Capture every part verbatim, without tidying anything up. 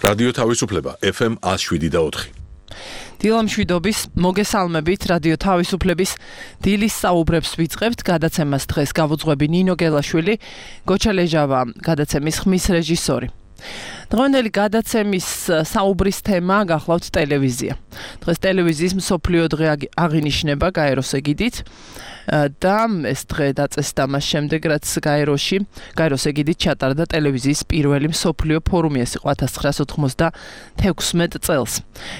რადიო თავისუფლება ეფ ემ one oh seven და four. დილამშვიდობის მოგესალმებით რადიო თავისუფლების დილის საუბრებს ვიწყებთ. გადაცემას დღეს გავუძღვები ნინო გელაშვილი, გოჩა ლეჟავა გადაცემის ხმის რეჟისორი. დღევანდელი გადაცემის საუბრის თემა გახლავთ ტელევიზია. დღეს ტელევიზიის მსოფლიო დღე აღინიშნება გაეროს ეგიდით და ეს დღე დაწესდა მას შემდეგ, რაც გაეროში გაეროს ეგიდით ჩატარდა ტელევიზიის პირველი მსოფლიო ფორუმი, ეს იყო one thousand nine hundred ninety-six წელს.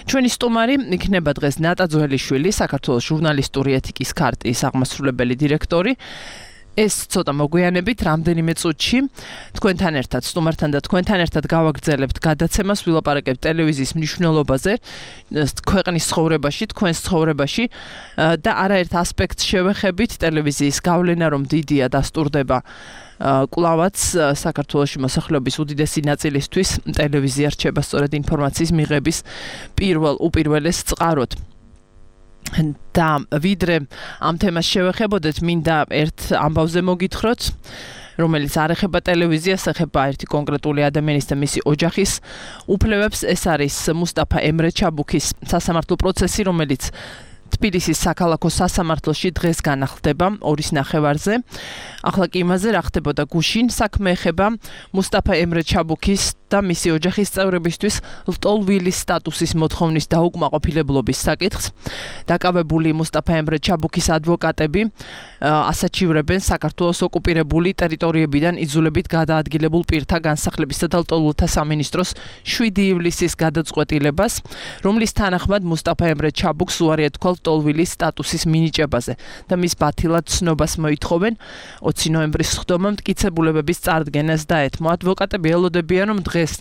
ჩვენი სტუმარი იქნება დღეს ნატა ძველიშვილი, საქართველოს ჟურნალისტური ეთიკის ქარტიის აღმასრულებელი დირექტორი. ეს ცოტა მოგვიანებით რამდენიმე წუთში თქვენთან ერთად სტუმართან და თქვენთან ერთად გავაგრძელებთ გადაცემას, ვილაპარაკებთ ტელევიზიის მნიშვნელობაზე ქვეყნის ცხოვრებაში, თქვენს ცხოვრებაში და არაერთ ასპექტს შევეხებით. ტელევიზიის გავლენა რომ დიდია დასტურდება კვლავაც საქართველოში მოსახლეობის უდიდესი ნაწილისთვის ტელევიზია რჩება სწორედ ინფორმაციის მიღების პირველ უპირველეს წყაროდ. და ვიდრე ამ თემას შევეხებოდეთ, მინდა ერთ ამბავზე მოგითხროთ, რომელიც არ ეხება ტელევიზიას, ეხება ერთი კონკრეტული ადამიანის და მისი ოჯახის უფლებებს. ეს არის მუსტაფა ემრე ჩაბუქის სასამართლო პროცესი, რომელიც თბილისის საქალაქო სასამართლოში დღეს განახლდება ორის ნახევარზე. ახლა კი იმაზე რა ხდებოდა გუშინ, საქმე ეხება მუსტაფა ემრე ჩაბუქის და მისი ოჯახის წევრებისთვის ლტოლვილის სტატუსის მოთხოვნის დაუკმაყოფილებლობის საკითხს. დაკავებული მუსტაფა ემრე ჩაბუქის ადვოკატები ასაჩივრებენ საქართველოს ოკუპირებული ტერიტორიებიდან იძულებით გადაადგილებულ პირთა განსახლებისა და ლტოლვილთა სამინისტროს შვიდი ივლისის გადაწყვეტილებას, რომლის თანახმად მუსტაფა ემრე ჩაბუქს უარი ეთქვა ლტოლვილის სტატუსის მინიჭებაზე და მის ბათილად ცნობას მოითხოვენ. ოცი ნოემბრის სხდომამ მტკიცებულებების წარდგენას დაეთმო. ადვოკატები ელოდებიან, რომ დღეს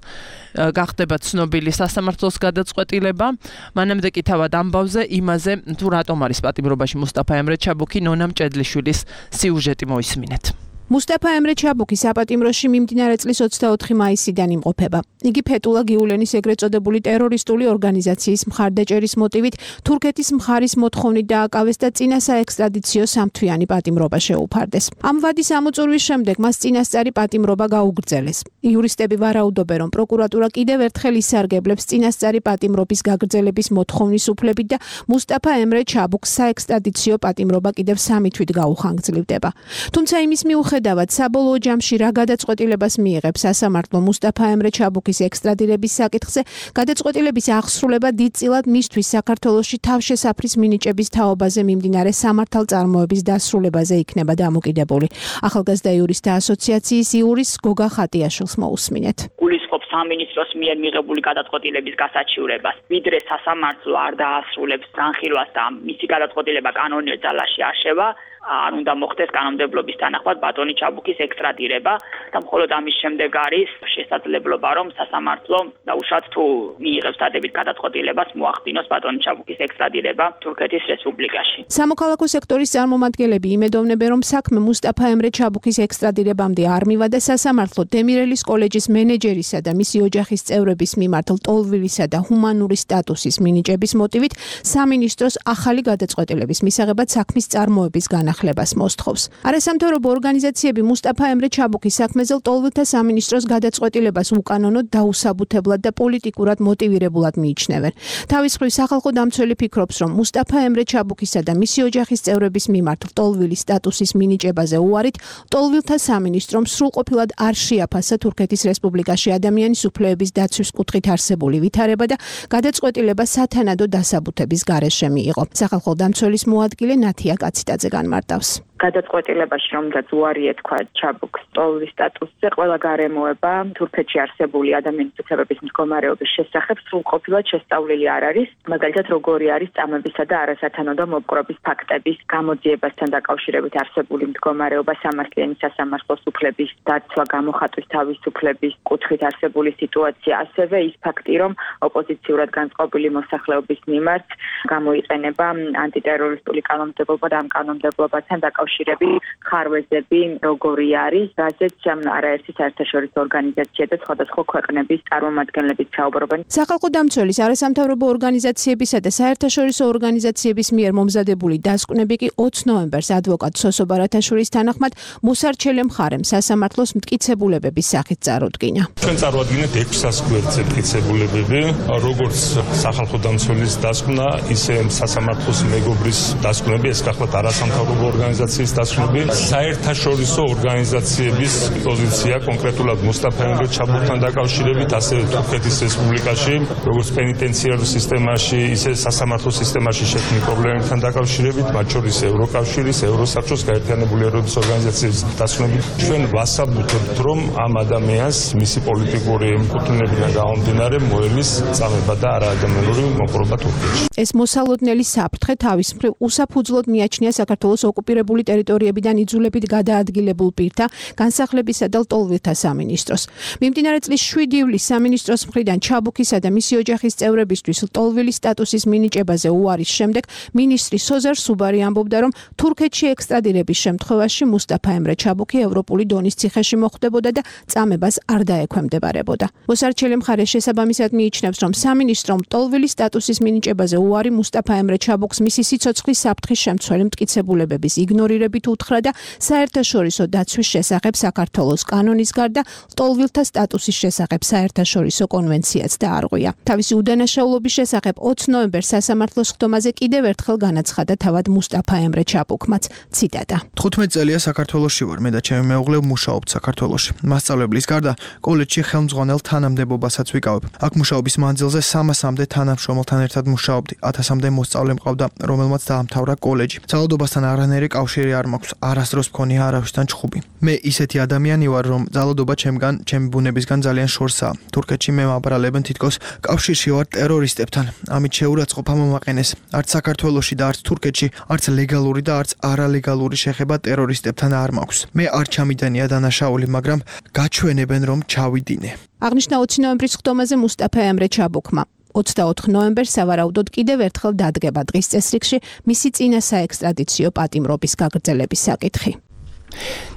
გახდება ცნობილი სასამართლოს გადაწყვეტილება. მანამდე კი თავად ამბავზე იმაზე, თუ რატომ არის პატიმრობაში მუსტაფა ემრე ჩაბუქი, ნონა მჭედლიშვილის სიუჟეტი მოისმინეთ. მუსტაფა ემრე ჩაბუქი საპატიმროში მიმდინარე წლის ოცდაოთხი მაისიდან იმყოფება. იგი ფეტულა გიულენის ეგრეთ წოდებული ტერორისტული ორგანიზაციის მხარდაჭერის მოტივით თურქეთის მხარის მოთხოვნით დააკავეს და წინა საექსტრადიციო სამთვიანი პატიმრობა შეუფარდეს. ამ ვადის ამოწურვის შემდეგ მას წინასწარი პატიმრობა გაუგრძელეს. იურისტები ვარაუდობენ, რომ პროკურატურა კიდევ ერთხელ ისარგებლებს წინასწარი პატიმრობის გაგრძელების მოთხოვნის უფლებით და მუსტაფა ემრე ჩაბუქს საექსტრადიციო პატიმრობა კიდევ სამი თვით გაუხანგრძლივდება. თუმცა იმის მიუხედავად საბოლოო ჯამში რა გადაწყვეტილებას მიიღებს სასამართლო მუსტაფა ემრე ჩაბუქის ექსტრადირების საკითხზე, გადაწყვეტილების აღსრულება დიდწილად მისთვის საქართველოში თავშესაფრის მინიჭების თაობაზე მიმდინარე სამართალწარმოების დასრულებაზე იქნება დამოკიდებული. ახალგაზრდა იურისტთა ასოციაციის იურის გოგა ხატიაშვილს მოусმინეთ. გულისხმობს სამინისტროს მიერ მიღებული გადაწყვეტილების გასაჩივრებას. ვიდრე სასამართლო არ დაასრულებს განხილვას და მისი გადაწყვეტილება კანონიერ ძალაში აღშევა, არ უნდა მოხდეს კანონმდებლობის თანახმად ბატონი ჩაბუქის ექსტრადირება და მხოლოდ ამის შემდეგ არის შესაძლებლობა, რომ სასამართლო დაუშვათ თუ მიიღებს დადებით გადაწყვეტილებას მოახდინოს ბატონი ჩაბუქის ექსტრადირება თურქეთის რესპუბლიკაში. სამოქალაქო სექტორის წარმომადგენლები იმედოვნებენ, რომ საქმე მუსტაფა ემრე ჩაბუქის ექსტრადირებამდე არ მივა და სასამართლო დემირელის კოლეჯის მენეჯერისა და მისი ოჯახის წევრების მიმართ ლტოლვილისა და ჰუმანური სტატუსის მინიჭების მოტივით სამინისტროს ახალი გადაწყვეტილების მისაღებად საქმის წარმოების განახლებას მოსთხოვს. არასამთავრობო ორგანიზაციები მუსტაფა ემრე ჩაბუქის საქმეზე ლტოლვილთა სამინისტროს გადაწყვეტილებას უკანონოდ, დაუსაბუთებლად და პოლიტიკურად მოტივირებულად მიიჩნევენ. თავის მხრივ სახალხო დამცველი ფიქრობს, რომ მუსტაფა ემრე ჩაბუქისა და მისი ოჯახის წევრების მიმართ ლტოლვილის სტატუსის მინიჭებაზე უარით ლტოლვილთა სამინისტრომ სრულყოფილად არ შეაფასა თურქეთის რესპუბლიკაში ადამიანის უფლებების დაცვის კუთხით არსებული ვითარება და გადაწყვეტილება სათანადო დასაბუთების გარეშე მიიღო. სახალხო დამცველის მოადგილე ნათია კაციტაძე განმარტავს. გადაწყვეტილებაში რომაც უარი ეთქვა ჩაბუქს ლტოლვილის სტატუსზე, ყველა გარემოება თურქეთში არსებული ადამიანის უფლებების მდგომარეობის შესახებ სრულყოფილად შესწავლილი არ არის. მაგალითად, როგორი არის წამებისა და არასათანადო მოპყრობის ფაქტების გამოძიებასთან დაკავშირებით არსებული მდგომარეობა, სამართლიანი სასამართლოს უფლების დაცვა, გამოხატვის თავისუფლების კუთხით არსებული სიტუაცია, ასევე ის ფაქტი, რომ ოპოზიციურად განწყობილი მოსახლეობის მიმართ გამოიყენება ანტიტერორისტული კანონმდებლობა და ამ კანონმდებლობასთან დაკავშირებით დაკავშირები, ხარვეზები, როგორი არის, რაზეც არაერთი საერთაშორისო ორგანიზაცია და სხვადასხვა ქვეყნების წარმომადგენლები საუბრობენ. სახალხო დამცველის არასამთავრობო ორგანიზაციებისა და საერთაშორისო ორგანიზაციების მიერ მომზადებული დასკვნები კი ოცი ნოემბერს ადვოკატ სოსო ბარათაშვილის თანახმად მოსარჩელე მხარემ სასამართლოს მტკიცებულებების სახით წარუდგინა. ჩვენ წარვადგინეთ ექვსას გვერდზე მტკიცებულებები, როგორც სახალხო დამცველის დასკვნა, ისე სასამართლოს მეგობრის დასკვნები, ეს გახლავთ არასამთავრობო ორგანიზაციის დასკვნები, საერთაშორისო ორგანიზაციების პოზიცია კონკრეტულად მუსტაფა ემრე ჩაბურთან დაკავშირებით, ასევე თურქეთის რესპუბლიკაში, როგორც პენიტენციარულ სისტემაში, ისე სასამართლო სისტემაში შექმნილ პრობლემებთან დაკავშირებით, მათ შორის ევროკავშირის, ევროსაბჭოს, გაერთიანებული ერების ორგანიზაციის დასკვნები. ჩვენ ვასაბუთებთ, რომ ამ ადამიანს მისი პოლიტიკური ემკუთვნებიდან გამომდინარე მოელის წამება და არაადამიანური მოპყრობა თურქეთში. ეს მოსალოდნელი საფრთხე თავის მხრივ უსაფუძვლოდ მიაჩნია საქართველოს ოკუპირებული ტერიტორიებიდან იძულებით გადაადგილებულ პირთა განსახლებისა და ლტოლვილთა სამინისტროს. მიმდინარე წლის შვიდი ივლისს სამინისტროს მხრიდან ჩაბუქისა და მისი ოჯახის წევრებისთვის ლტოლვილის სტატუსის მინიჭებაზე უარის შემდეგ მინისტრი სოზარ სუბარი ამბობდა, რომ თურქეთში ექსტრადირების შემთხვევაში მუსტაფა ემრე ჩაბუქი ევროპული დონის ციხეში მოხვდებოდა და წამებას არ დაექვემდებარებოდა. მოსარჩელე მხარე შესაბამისად მიიჩნევს, რომ სამინისტრომ ლტოლვილის სტატუსის მინიჭებაზე უარი მუსტაფა ემრე ჩაბუქს მისი სიცოცხლის საფრთხის შემცველი მტკიცებულებების იგნორირებით უთხრა და საერთაშორისო დაცვის შესახებ საქართველოს კანონის გარდა ლტოლვილთა სტატუსის შესახებ საერთაშორისო კონვენციაც დაარღვია. თავისი უდანაშაულობის შესახებ ოცი ნოემბერს სასამართლოს ხდომაზე კიდევ ერთხელ განაცხადა თავად მუსტაფა ემრე ჩაბუქმაც. ციტატა. თხუთმეტ წელია საქართველოში ვარ, მე და ჩემი მეუღლე მუშაობთ საქართველოში. მასწავლებლის გარდა კოლეჯში ხელმძღვანელ თანამდებობასაც ვიკავებ. აქ მუშაობის მანძილზე სამასამდე თანამშრომელთან ერთად მუშაობდი. ათასამდე მოსწავლე მყავდა, რომელმაც დაამთავრა კოლეჯი. ძალადობასთან არანაირი კავშირი არ მაქვს, არასდროს მქონია არავისთან ჩხუბი. მე ისეთი ადამიანი ვარ, რომ ძალადობა ჩემგან, ჩემი ბუნებისგან ძალიან შორსაა. თურქეთში მე მაბრალებენ თითქოს კავშირში ვარ ტერორისტებთან. ამით შეურაცხყოფა მომაყენეს. არც საქართველოში და არც თურქეთში, არც ლეგალური და არც არალეგალური შეხება ტერორისტებთან არ მაქვს. მე არ ჩამიდანია დანაშაული, მაგრამ გაჩვენებენ, რომ ჩავიდინე. აღნიშნა ოცი ნოემბრის ხდომაზე მუსტაფა ემრე ჩაბუქმა. ოცდაოთხ ნოემბერს სავარაუდოდ კიდევ ერთხელ დადგება დღის წესრიგში მისი წინა საექსტრადიციო პატიმრობის გაგრძელების საკითხი.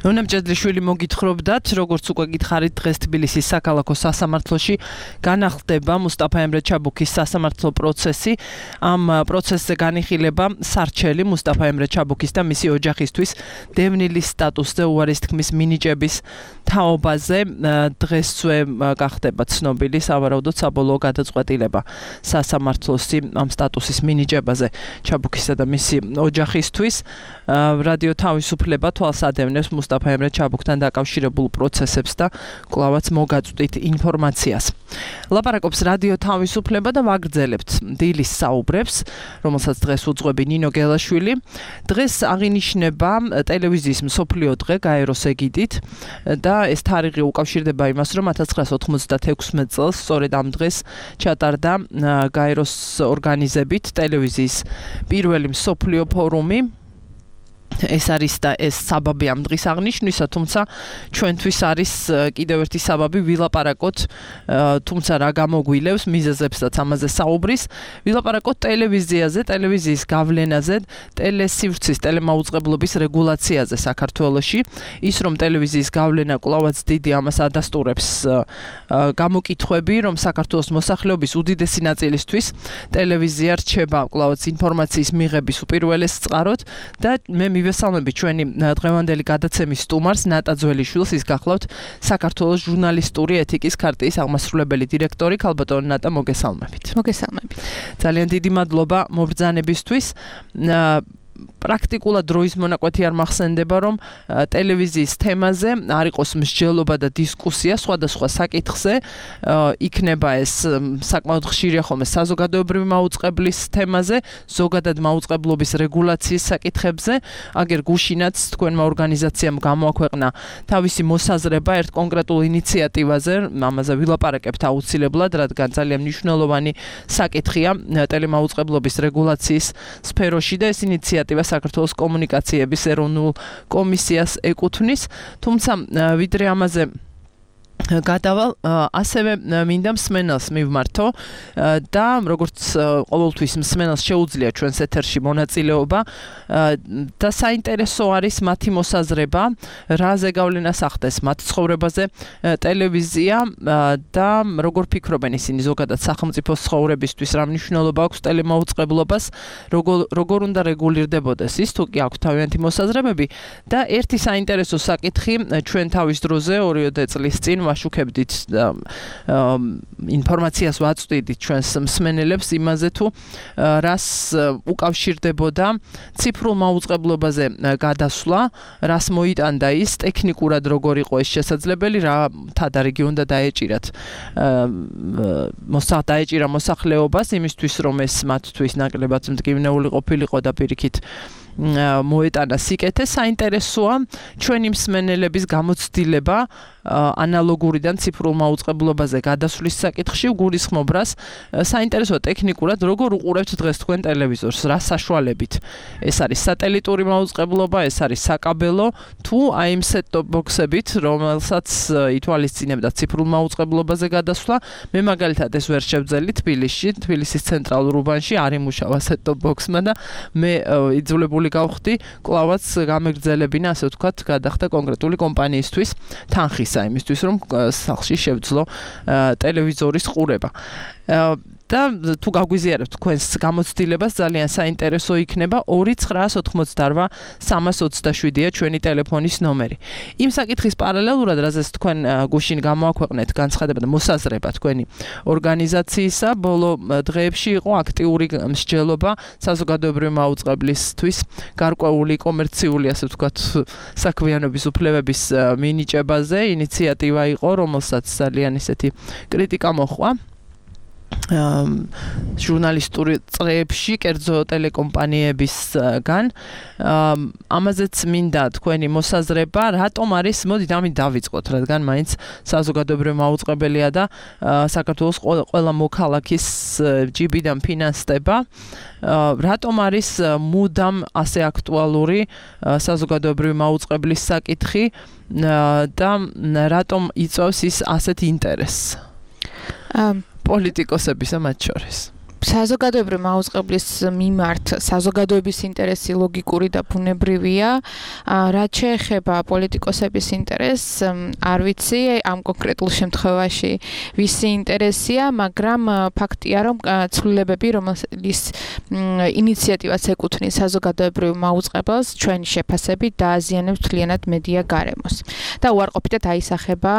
ნონა მჭედლიშვილი მოგითხრობდათ, როგორც უკვე გითხარით, დღეს თბილისის საქალაქო სასამართლოში განახლდება მუსტაფა ემრე ჩაბუქის სასამართლო პროცესი. ამ პროცესზე განიხილება სარჩელი მუსტაფა ემრე ჩაბუქის და მისი ოჯახისთვის დევნილის სტატუსზე უარის თქმის მინიჭების თაობაზე. დღესვე გახდება ცნობილი სავარაუდოდ საბოლოო გადაწყვეტილება სასამართლოსი ამ სტატუსის მინიჭებაზე ჩაბუქისა და მისი ოჯახისთვის. რადიო თავისუფლება თვალსადევნებს მუსტაფა ემრე ჩაბუქთან დაკავშირებულ პროცესებს და კვლავაც მოგაწვდით ინფორმაციას. ლაპარაკობს რადიო თავისუფლება და ვაგრძელებთ დილის საუბრებს, რომელსაც დღეს უძღვები ნინო გელაშვილი. დღეს აღინიშნება ტელევიზიის მსოფლიო დღე გაეროს ეგიდით და ეს თარიღი უკავშირდება იმას, რომ ათას ცხრაასა ოთხმოცდათექვსმეტ წელს სწორედ ამ დღეს ჩატარდა გაეროს ორგანიზებით ტელევიზიის პირველი მსოფლიო ფორუმი. ეს არის და ეს საბაბი ამ დღის აღნიშვნისა, თუმცა ჩვენთვის არის კიდევ ერთი საბაბი ვილაპარაკოთ, თუმცა რა გამოგვილევს მიზეზებსაც ამაზე საუბრის, ვილაპარაკოთ ტელევიზიაზე, ტელევიზიის გავლენაზე, ტელესივრცის, ტელემაუწყებლობის რეგულაციაზე საქართველოში. ის რომ ტელევიზიის გავლენა კვლავაც დიდი, ამას ადასტურებს გამოკითხვები, რომ საქართველოს მოსახლეობის უდიდესი ნაწილისთვის ტელევიზია რჩება კვლავაც ინფორმაციის მიღების უპირველეს წყაროდ და მე მივესალმები ჩვენი დღევანდელი გადაცემის სტუმარს ნატა ძველიშვილს, ის გახლავთ საქართველოს ჟურნალისტური ეთიკის ქარტიის აღმასრულებელი დირექტორი. ქალბატონო ნატა, მოგესალმებით. მოგესალმებით. ძალიან დიდი მადლობა მობრძანებისთვის. პრაქტიკულად დროის მონაკვეთი არ მახსენდება, რომ ტელევიზიის თემაზე არ იყოს მსჯელობა და დისკუსია სხვადასხვა საკითხზე. იქნება ეს საკმაოდ ხშირია ხოლმე საზოგადოებრივი მაუწყებლის თემაზე, ზოგადად მაუწყებლობის რეგულაციის საკითხებზე. აგერ გუშინაც თქვენმა ორგანიზაციამ გამოაქვეყნა თავისი მოსაზრება ერთ კონკრეტულ ინიციატივაზე, ამაზე ვილაპარაკებთ აუცილებლად, რადგან ძალიან მნიშვნელოვანი საკითხია ტელემაუწყებლობის რეგულაციის სფეროში და ეს ინიციატივა საქართველოს კომუნიკაციების ეროვნულ კომისიას ეკუთვნის, თუმცა ვიდრე ამაზე გადავალ ასევე მინდა მსმენელს მივმართო და როგორც ყოველთვის მსმენელს შეუძლია ჩვენს ეთერში მონაწილეობა და საინტერესო არის მათი მოსაზრება, რა ზეგავლენას ახდენს მათ ცხოვრებაზე ტელევიზია და როგორ ფიქრობენ ისინი ზოგადად სახელმწიფოს ცხოვრებისთვის, რა მნიშვნელობა აქვს ტელემაუწყებლობას, როგორ როგორ უნდა რეგულირდებოდეს ის, თუ კი აქვს თავიანთი მოსაზრებები და ერთი საინტერესო საკითხი ჩვენ თავის დროზე ორი წლის წინ ვაშუქებდით ინფორმაციას ვაწვდიდით ჩვენს მსმენელებს იმაზე თუ რას უკავშირდებოდა ციფრულ მაუწყებლობაზე გადასვლა, რას მოიტანდა ის, ტექნიკურად როგორ იყო ეს შესაძლებელი, რა თადარიგი უნდა დაეჭირათ მოსა დაეჭირა მოსახლეობას იმისთვის რომ ეს მათთვის ნაკლებად მდგივნეული ყოფილიყო და პირიქით მოეტანა სიკეთე. საინტერესოა ჩვენი მსმენელების გამოცდილება ანალოგურიდან ციფრულ მაუწყებლობაზე გადასვლის საკითხში გულისხმობ რას საინტერესოა ტექნიკურად როგორ უყურებთ დღეს თქვენ ტელევიზორს, რა საშუალებით. ეს არის სატელიტური მაუწყებლობა, ეს არის საკაბელო, თუ აი იმ set-top box-ებით, რომელსაც ითვალისწინებდა ციფრულ მაუწყებლობაზე გადასვლა. მე მაგალითად ეს ვერ შევძელი თბილისში, თბილისის ცენტრალურ უბანში არ იმუშავა set-top box-მა და მე იძულებული გავხდი კლავაც გამეგრძელებინა, ასე ვთქვათ, გადახდა კონკრეტული კომპანიისთვის თანხის იმისთვის რომ სახლში შევძლო ტელევიზორის ყურება. და თუ გაგვიზიარებთ თქვენს გამოცდილებას ძალიან საინტერესო იქნება ორი ცხრა ოთხმოცდაოთხ სამას ოცდაშვიდია ჩვენი ტელეფონის ნომერი. იმ საკითხის პარალელურად, რაზეც თქვენ გუშინ გამოაქვეყნეთ განცხადება და მოსაზრება თქვენი ორგანიზაციისა, ბოლო დღეებში იყო აქტიური მსჯელობა საზოგადოებრივი მაუწყებლისთვის გარკვეული კომერციული, ასე ვთქვათ, საქმიანობის უფლებების მინიჭებაზე. ინიციატივა იყო, რომელსაც ძალიან ისეთი კრიტიკა მოჰყვა. ჟურნალისტური წრეებში, კერძო ტელეკომპანიებისგან. ამაზეც მინდა თქვენი მოსაზრება, რატომ არის, მოდით ამით დავიწყოთ, რადგან მაინც საზოგადოებრივი მაუწყებელია და საქართველოს ყველა მოქალაქის ჯიბიდან ფინანსდება. რატომ არის მუდამ ასე აქტუალური საზოგადოებრივი მაუწყებლის საკითხი და რატომ იწვევს ის ასეთ ინტერესს? პოლიტიკოსებისა მათ შორის. საზოგადოებრივი მაუწყებლის მიმართ საზოგადოების ინტერესი ლოგიკური და ბუნებრივია. რაც შეეხება პოლიტიკოსების ინტერესს, არ ვიცი, ამ კონკრეტულ შემთხვევაში ვისი ინტერესია, მაგრამ ფაქტია, რომ ცვლილებები, რომელის ინიციატივას ეკუთვნის საზოგადოებრივ მაუწყებელს, ჩვენი შეფასებით დააზიანებს მთლიანად მედია გარემოს. და უარყოფითად აისახება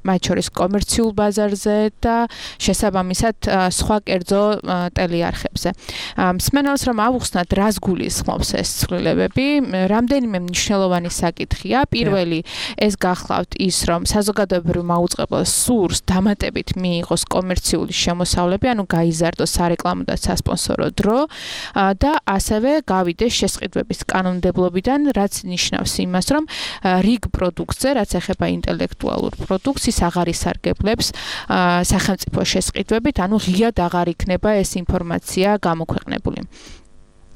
მათ შორის კომერციულ ბაზარზე და შესაბამისად სხვა კერძო ტელეარხებზე. მსმენელს რომ ავუხსნათ, რას გულისხმობს ეს ცვლილებები, რამდენიმე მნიშვნელოვანი საკითხია. პირველი, ეს გახლავთ ის, რომ საზოგადოებრივ მაუწყებელს სურს დამატებით მიიღოს კომერციული შემოსავლები, ანუ გაიზარდოს სარეკლამო და სასპონსორო დრო და ასევე გავიდეს შესყიდვების კანონმდებლობიდან, რაც ნიშნავს იმას, რომ რიგ პროდუქტზე, რაც ეხება ინტელექტუალურ პროდუქტს, ის აღარ ისარგებლებს სახელმწიფო შესყიდვებით, ანუ ღიად აღარ იქნება ეს ინფორმაცია გამოქვეყნებული.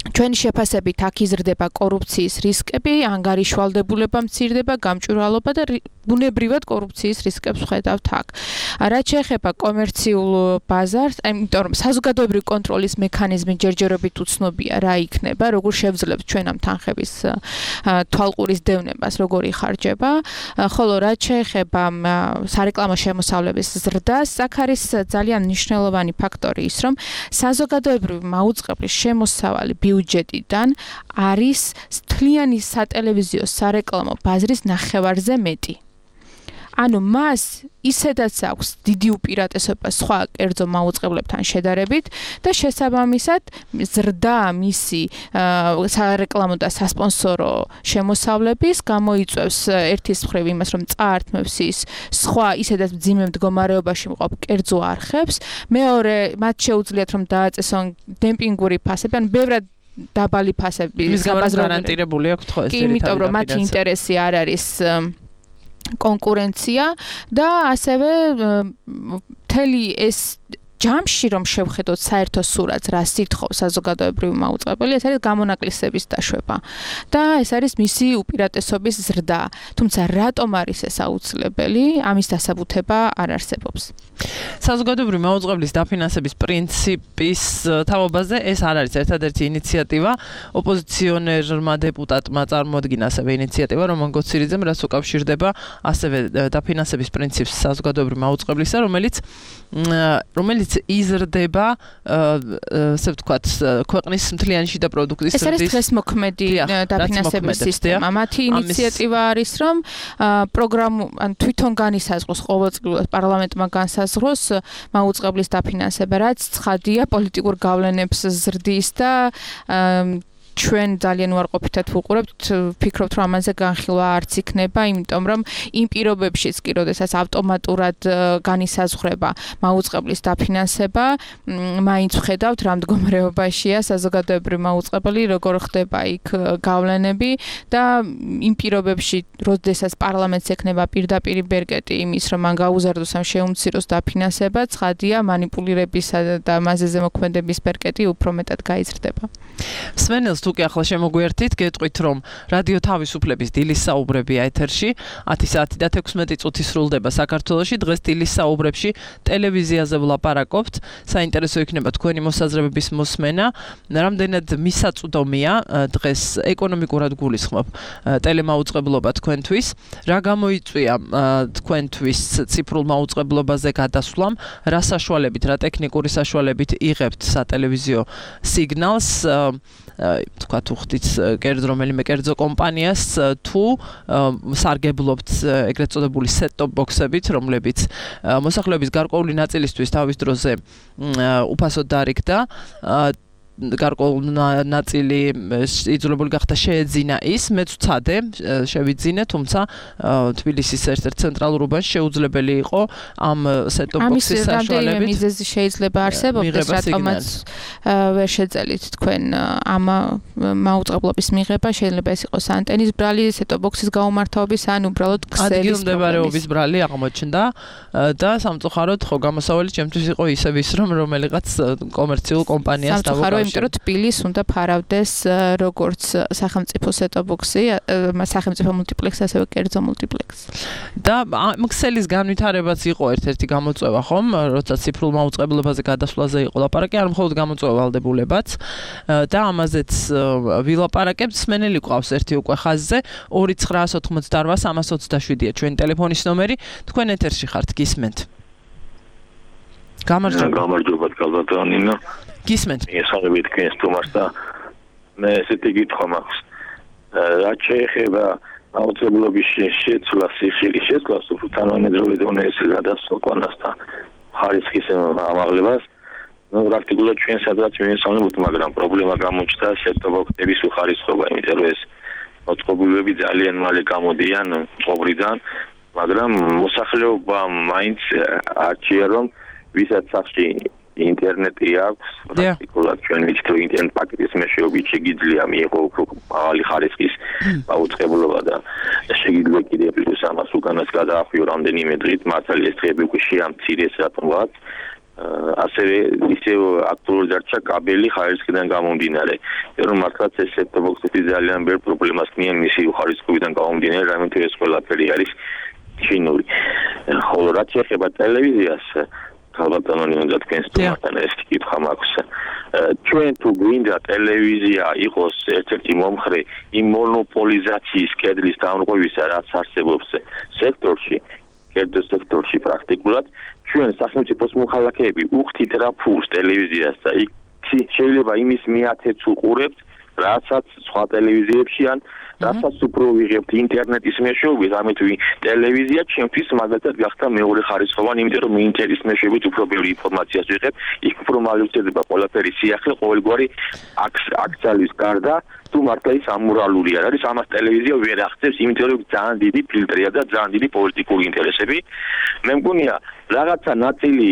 ჩვენი შეფასებით აქ იზრდება კორუფციის რისკები, ანგარიშვალდებულება მცირდება, გამჭვირვალობა და ბუნებრივად კორუფციის რისკებს ხედავთ აქ. რაც შეეხება კომერციულ ბაზარს, იმიტომ რომ საზოგადოებრივი კონტროლის მექანიზმი ჯერჯერობით უცნობია რა იქნება, როგორ შევძლებთ ჩვენ ამ თანხების თვალყურის დევნებას, როგორ იხარჯება, ხოლო რაც შეეხება სარეკლამო შემოსავლების ზრდას, აქ არის ძალიან მნიშვნელოვანი ფაქტორი ის, რომ საზოგადოებრივი მაუწყებლის შემოსავალი ბიუჯეტიდან არის მთლიანი სატელევიზიო სარეკლამო ბაზრის ნახევარზე მეტი. ანუ მას ისედაც აქვს დიდი უპირატესობა სხვა კერძო მაუწყებლებთან შედარებით და შესაბამისად ზრდა მისი სარეკლამო და სასპონსორო შემოსავლების გამოიწვევს ერთის მხრივ იმას, რომ წაართმევს ის სხვა ისედაც მძიმე მდგომარეობაში მყოფ კერძო არხებს, მეორე მათ შეუძლიათ რომ დააწესონ დემპინგური ფასები, ან ბევრად დაბალი ფასები გარანტირებული აქვს ხო ეს კი, იმიტომ რომ მათი ინტერესი არ არის კონკურენცია და ასევე მთელი ეს ჯამში რომ შევხედოთ საერთო სურათს, რა სითხოვს საზოგადოებრივი მაუწყებელი, ეს არის გამონაკლისების დაშვება და ეს არის მისი უპირატესობის ზრდა. თუმცა რატომ არის ეს აუცილებელი? ამის დასაბუთება არ არსებობს. საზოგადოებრივი მაუწყებლის დაფინანსების პრინციპის თაობაზე ეს არ არის ერთადერთი ინიციატივა. ოპოზიციონერმა დეპუტატმა წარმოადგინა ასევე ინიციატივა, რომან გოცირიძემ, რაც უკავშირდება ასევე დაფინანსების პრინციპს საზოგადოებრივი მაუწყებლისა, რომელიც რომელიც იზრდება, ასე ვთქვათ, ქვეყნის მთლიანი შიდა პროდუქტის ზრდის. ეს არის დღესმოქმედი დაფინანსების სისტემა. მათი ინიციატივა არის, რომ პროგრამу, ან თვითონ განისაზღვროს ყოველწლიურად პარლამენტმა განსაზღვროს მაუწყებლის დაფინანსება, რაც ცხადია პოლიტიკურ გავლენებს ზრდის და ჩვენ ძალიან უარყოფითად ვუყურებთ, ვფიქრობთ, რომ ამაზე განხილვა არც იქნება, იმიტომ რომ იმ პირობებშიც კი, როდესაც ავტომატურად განისაზღვრება მაუწყებლის დაფინანსება, მაინც ვხედავთ, რა მდგომარეობაშია საზოგადოებრივი მაუწყებელი, როგორ ხდება იქ გავლენები და იმ პირობებში, როდესაც პარლამენტს ექნება პირდაპირი ბერკეტი იმის, რომ მან გაუზარდოს ამ შეუმციროს დაფინანსება, ცხადია მანიპულირებისა და მასზე ზემოქმედების ბერკეტი უფრო მეტად გაიზრდება. სვენელს თუკი ახლა შემოგვიერთით, გეტყვით, რომ რადიო თავისუფლების დილის საუბრებია ეთერში, ათი საათი და თექვსმეტი წუთი სრულდება საქართველოში. დღეს დილის საუბრებში ტელევიზიაზე ვლაპარაკობთ. საინტერესო იქნება თქვენი მოსაზრებების მოსმენა. რამდენად მისაწვდომია დღეს ეკონომიკურად გულისხმობ ტელემაუწყებლობა თქვენთვის? რა გამოიწვია თქვენთვის ციფრულ მაუწყებლობაზე გადასვლამ? რა საშუალებით, რა ტექნიკური საშუალებით იღებთ სატელევიზიო სიგნალს? თქვა თუ ხდით კერძო რომელიმე კერძო კომპანიას თუ სარგებლობთ ეგრეთ წოდებული set-top box-ებით, რომლებიც მოსახლეობის გარკვეული ნაწილისთვის თავის დროზე უფასოდ დარიგდა. გარკვეული ნაწილი იძულებული გახდა შეეძინა ის, მეც ვცადე შევიძინე, თუმცა თბილისის ერთ-ერთ ცენტრალურ უბანში შეუძლებელი იყო ამ set-top box-ის საშუალებით. ამის რამდენიმე მიზეზი შეიძლება არსებობდეს, რატომაც ვერ შეძელით თქვენ ამ მაუწყებლობის მიღება, შეიძლება ეს იყოს ანტენის ბრალი, set-top box-ის გაუმართავების ან უბრალოდ ქსელის ადგილმდებარეობის ბრალი აღმოჩნდა და სამწუხაროდ ხო გამოსავალი ჩემთვის იყო ისევ ის, რომ რომელიღაც კომერციულ კომპანიას დავუკავშირე. იმიტომ რომ თბილის უნდა ფარავდეს როგორც სახელმწიფო set-top box-ი, სახელმწიფო მულტიპლექსი, ასევე კერძო მულტიპლექსი. და ქსელის განვითარებაც იყო ერთ-ერთი გამოწვევა, ხომ? როცა ციფრულ მაუწყებლობაზე გადასვლაზე იყო ლაპარაკი, არ მხოლოდ გამოწვევა ვალდებულებაც და ამაზეც ვილაპარაკებთ. სმენელი ყავს ერთი უკვე ხაზზე ორი ცხრაას ოთხმოცდაორვა სამას ოცდაშვიდია ჩვენი ტელეფონის ნომერი. თქვენ ეთერში ხართ, გისმენთ. გამარჯობა. გამარჯობა კალბატონინა. გისმენთ. ესაღებით თქვენს თომას და მე ესეთი კითხვა მაქვს. რაც შეეხება აუცილებლობის შეცვლას, სიხილის შეცვლას, თანამედროვე დონეზე გადასვლას და ხარისხის ამაღლებას, ну პრაქტიკულად ჩვენ სადღაც მივესალმებთ, მაგრამ პრობლემა გამოჩნდა set-top box-ების უხარისხობა, იმიტომ რომ ეს მოწყობილობები ძალიან მალე გამოდიან წყობრიდან, მაგრამ მოსახლეობა მაინც არჩია, რომ ვისაც სახში ინტერნეტი აქვს, პრაქტიკულად ჩვენ ვიცით, რომ ინტერნეტ პაკეტის მეშვეობით შეგიძლია მიიღო უფრო მაღალი ხარისხის მაუწყებლობა და შეგიძლია კიდევ პლუს ამას უკანას გადაახვიო რამდენიმე დღით, მართალია ეს დღეები უკვე შეამცირეს რატომღაც. ასევე ისევ აქტუალური დარჩა კაბელი ხარისხიდან გამომდინარე. რომ მართლაც ეს set-top box-ები ძალიან ბევრ პრობლემას ქმნიან მისი ხარისხობიდან გამომდინარე, რამეთო ეს ყველაფერი არის ჩინური. ხოლო რაც შეეხება ტელევიზიას, ალბათანონი უნდა თქვენს თუმასთან ეს კითხვა მაქვს. ჩვენ თუ გვინდა ტელევიზია იყოს ერთ-ერთი მომხრე იმ მონოპოლიზაციის კედლის დამრღვევისა, რაც არსებობს სექტორში, კერძო სექტორში პრაქტიკულად, ჩვენ სახელმწიფოს მოხალხეები უხდით რა ფულს ტელევიზიას და იქ შეიძლება იმის მიათეც უყურებთ, რასაც სხვა ტელევიზიებში ან რასაც უფრო ვიღებთ ინტერნეტის მეშვეობით, ამით ტელევიზია ჩემთვის მაგალითად გახდა მეორე ხარისხოვანი, იმიტომ რომ ინტერნეტის მეშვეობით უფრო ბევრი ინფორმაციას ვიღებ, იქ უფრო მალე ვწდება ყველაფერი სიახლე, ყოველგვარი აქციის გარდა, თუ მართლა ის ამორალური არ არის, ამას ტელევიზია ვერ აღწევს, იმიტომ რომ ძალიან დიდი ფილტრია და ძალიან დიდი პოლიტიკური ინტერესები. მე მგონია რაღაცა ნაწილი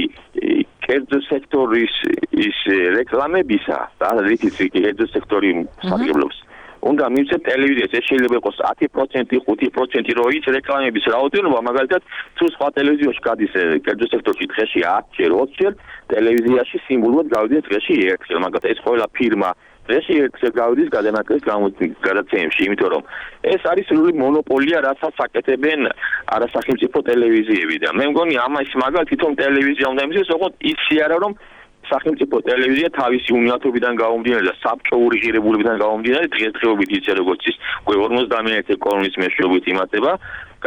კერძო სექტორის ის რეკლამებისა, და რითიც კერძო სექტორი სარგებლობს უნდა მივცეთ ტელევიზიას, ეს შეიძლება იყოს ათი პროცენტი, ხუთი პროცენტი, რო ის რეკლამების რაოდენობა, მაგალითად, თუ სხვა ტელევიზიაში გადის კერძო სექტორში დღეში ათჯერ, ოცჯერ, ტელევიზიაში სიმბოლურად გავიდეს დღეში ერთხელ, მაგალითად, ეს ყველა ფირმა დღეში ერთხელ გავიდეს გადანაკლების გადაცემებში, იმიტომ რომ ეს არის სრული მონოპოლია, რასაც აკეთებენ არასახელმწიფო ტელევიზიები და მე მგონი ამას მაგალითად თვითონ ტელევიზია უნდა იმის, ოღონდ ისი არა რომ სახელმწიფო ტელევიზია თავისი უნიათობიდან გამომდინარე და საბჭოური ღირებულებიდან გამომდინარე დღესდღეობით ისე როგორც ის ორმოცდაერთი კოლონის მეშვეობით იმართება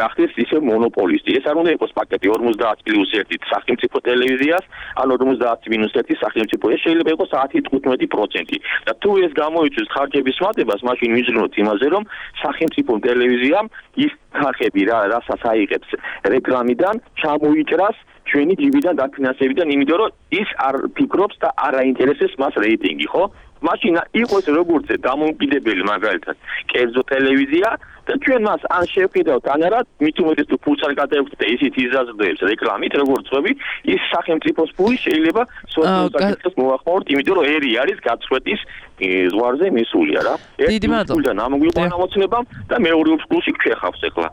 გახდეს ისე მონოპოლისტი. ეს არ უნდა იყოს პაკეტი ორმოცდაათ პლუს ერთი სახელმწიფო ტელევიზიას, ან ორმოცდაათ მინუს ერთი სახელმწიფო. ეს შეიძლება იყოს ათი თხუთმეტი პროცენტი. და თუ ეს გამოიწვევს ხარჯების მატებას, მაშინ ვიზრუნოთ იმაზე, რომ სახელმწიფო ტელევიზიამ ის ხარჯები რა რასაც აიღებს რეკლამიდან ჩამოიჭრას ჩვენი ჯიბიდან დაფინანსებიდან, იმიტომ რომ ის არ ფიქრობს და არ აინტერესებს მას რეიტინგი, ხო? მაშინ იყოს როგორც დამოუკიდებელი მაგალითად კერძო ტელევიზია და ჩვენ მას ან შევყიდავთ ან არა, მით უმეტეს თუ ფულს არ გადაექვთ და ისიც იზრდება რეკლამით, როგორც ხვები, ის სახელმწიფოს ფული შეიძლება სოციალურ მოახმაროთ, იმიტომ რომ ერი არის გაწყვეტის ზღვარზე მისულია რა. დიდი მადლობა. ამგვარად ამოცნებამ და მეორე ფულში გვეხავს ახლა.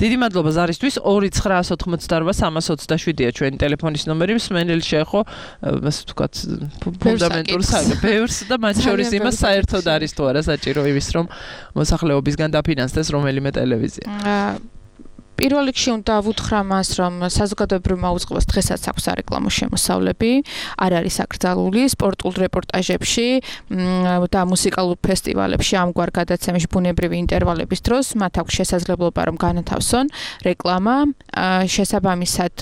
დიდი მადლობა ზარისთვის. ორი ცხრაას ოთხმოცდაორვა სამას ოცდაშვიდია ჩვენი ტელეფონის ნომერი. მსმენელი შეეხო, ასე ვთქვათ, ფუნდამენტურ საერთოდ და მათ შორის იმას საერთოდ არის თუ არა საჭირო იმის რომ მოსახლეობისგან დაფინანსდეს რომელიმე ტელევიზია. პირველ რიგში უნდა ვუთხრა მას, რომ საზოგადოებრივ მაუწყებლობას დღესაც აქვს სარეკლამო შემოსავლები, არ არის აკრძალული სპორტულ რეპორტაჟებში და მუსიკალურ ფესტივალებში ამგვარ გადაცემებში ბუნებრივი ინტერვალების დროს მათ აქვს შესაძლებლობა რომ განათავსონ რეკლამა, შესაბამისად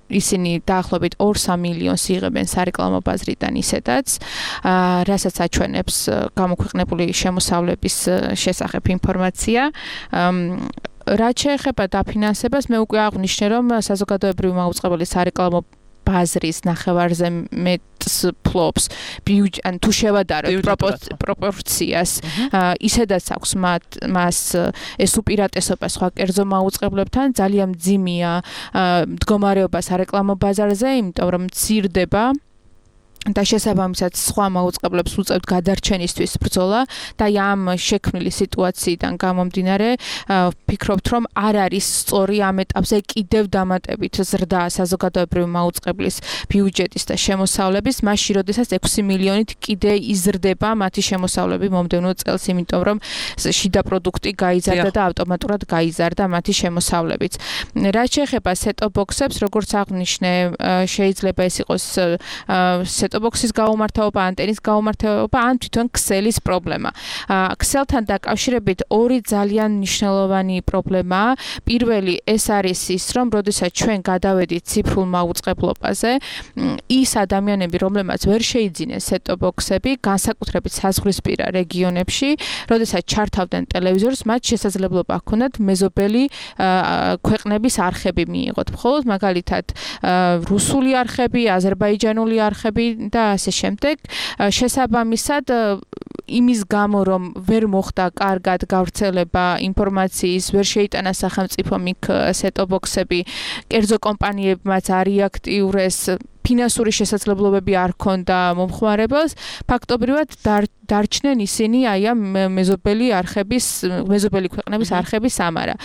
ისინი დაახლოებით ორ-სამ მილიონს იღებენ სარეკლამო ბაზრიდან ისედაც, რასაც აჩვენებს გამოქვეყნებული შემოსავლების შესახებ ინფორმაცია. რაც შეეხება დაფინანსებას, მე უკვე აღვნიშნე, რომ საზოგადოებრივი მაუწყებელი სარეკლამო ბაზრის ნახევარზე მეტს ფლობს ან თუ შევადაროთ პროპორციას, ისედაც აქვს მას ეს უპირატესობა სხვა კერძო მაუწყებლებთან, ძალიან მძიმეა მდგომარეობა სარეკლამო ბაზარზე, იმიტომ რომ მცირდება და შესაბამისად სხვა მაუწყებლებს უწევთ გადარჩენისთვის ბრძოლა და ამ შექმნილი სიტუაციიდან გამომდინარე ვფიქრობთ რომ არ არის სწორი ამ ეტაპზე კიდევ დამატებით ზრდა საზოგადოებრივი მაუწყებლის ბიუჯეტის და შემოსავლების მასში როდესაც ექვსი მილიონით კიდე იზრდება მათი შემოსავლები მომდევნო წელს, იმიტომ რომ შიდა პროდუქტი გაიზარდა და ავტომატურად გაიზარდა მათი შემოსავლებიც. რაც შეეხება set-top box-ებს, როგორც აღვნიშნე, შეიძლება ეს იყოს set-top-box-ის გაუმართავობა, ანტენის გაუმართავობა, ან თვითონ ქსელის პრობლემა. ქსელთან დაკავშირებით ორი ძალიან მნიშვნელოვანი პრობლემაა. პირველი ეს არის ის, რომ როდესაც ჩვენ გადავედით ციფრულ მაუწყებლობაზე, ის ადამიანები, რომლებმაც ვერ შეიძინეს set-top box-ები, განსაკუთრებით საზღვრისპირა რეგიონებში, როდესაც ჩართავდნენ ტელევიზორს, მათ შესაძლებლობა ჰქონდათ მეზობელი ქვეყნების არხები მიიღოთ. მხოლოდ მაგალითად რუსული არხები, აზერბაიჯანული არხები და ასე შემდეგ. შესაბამისად იმის გამო რომ ვერ მოხდა კარგად გავრცელება ინფორმაციის, ვერ შეიტანა სახელმწიფომ იქ set-top box-ები, კერძო კომპანიებმაც არ იაქტიურეს, ფინანსური შესაძლებლობები არ ჰქონდა მომხმარებელს, ფაქტობრივად დარჩნენ ისინი აი ამ მეზობელი არხების, მეზობელი ქვეყნების არხების ამარა.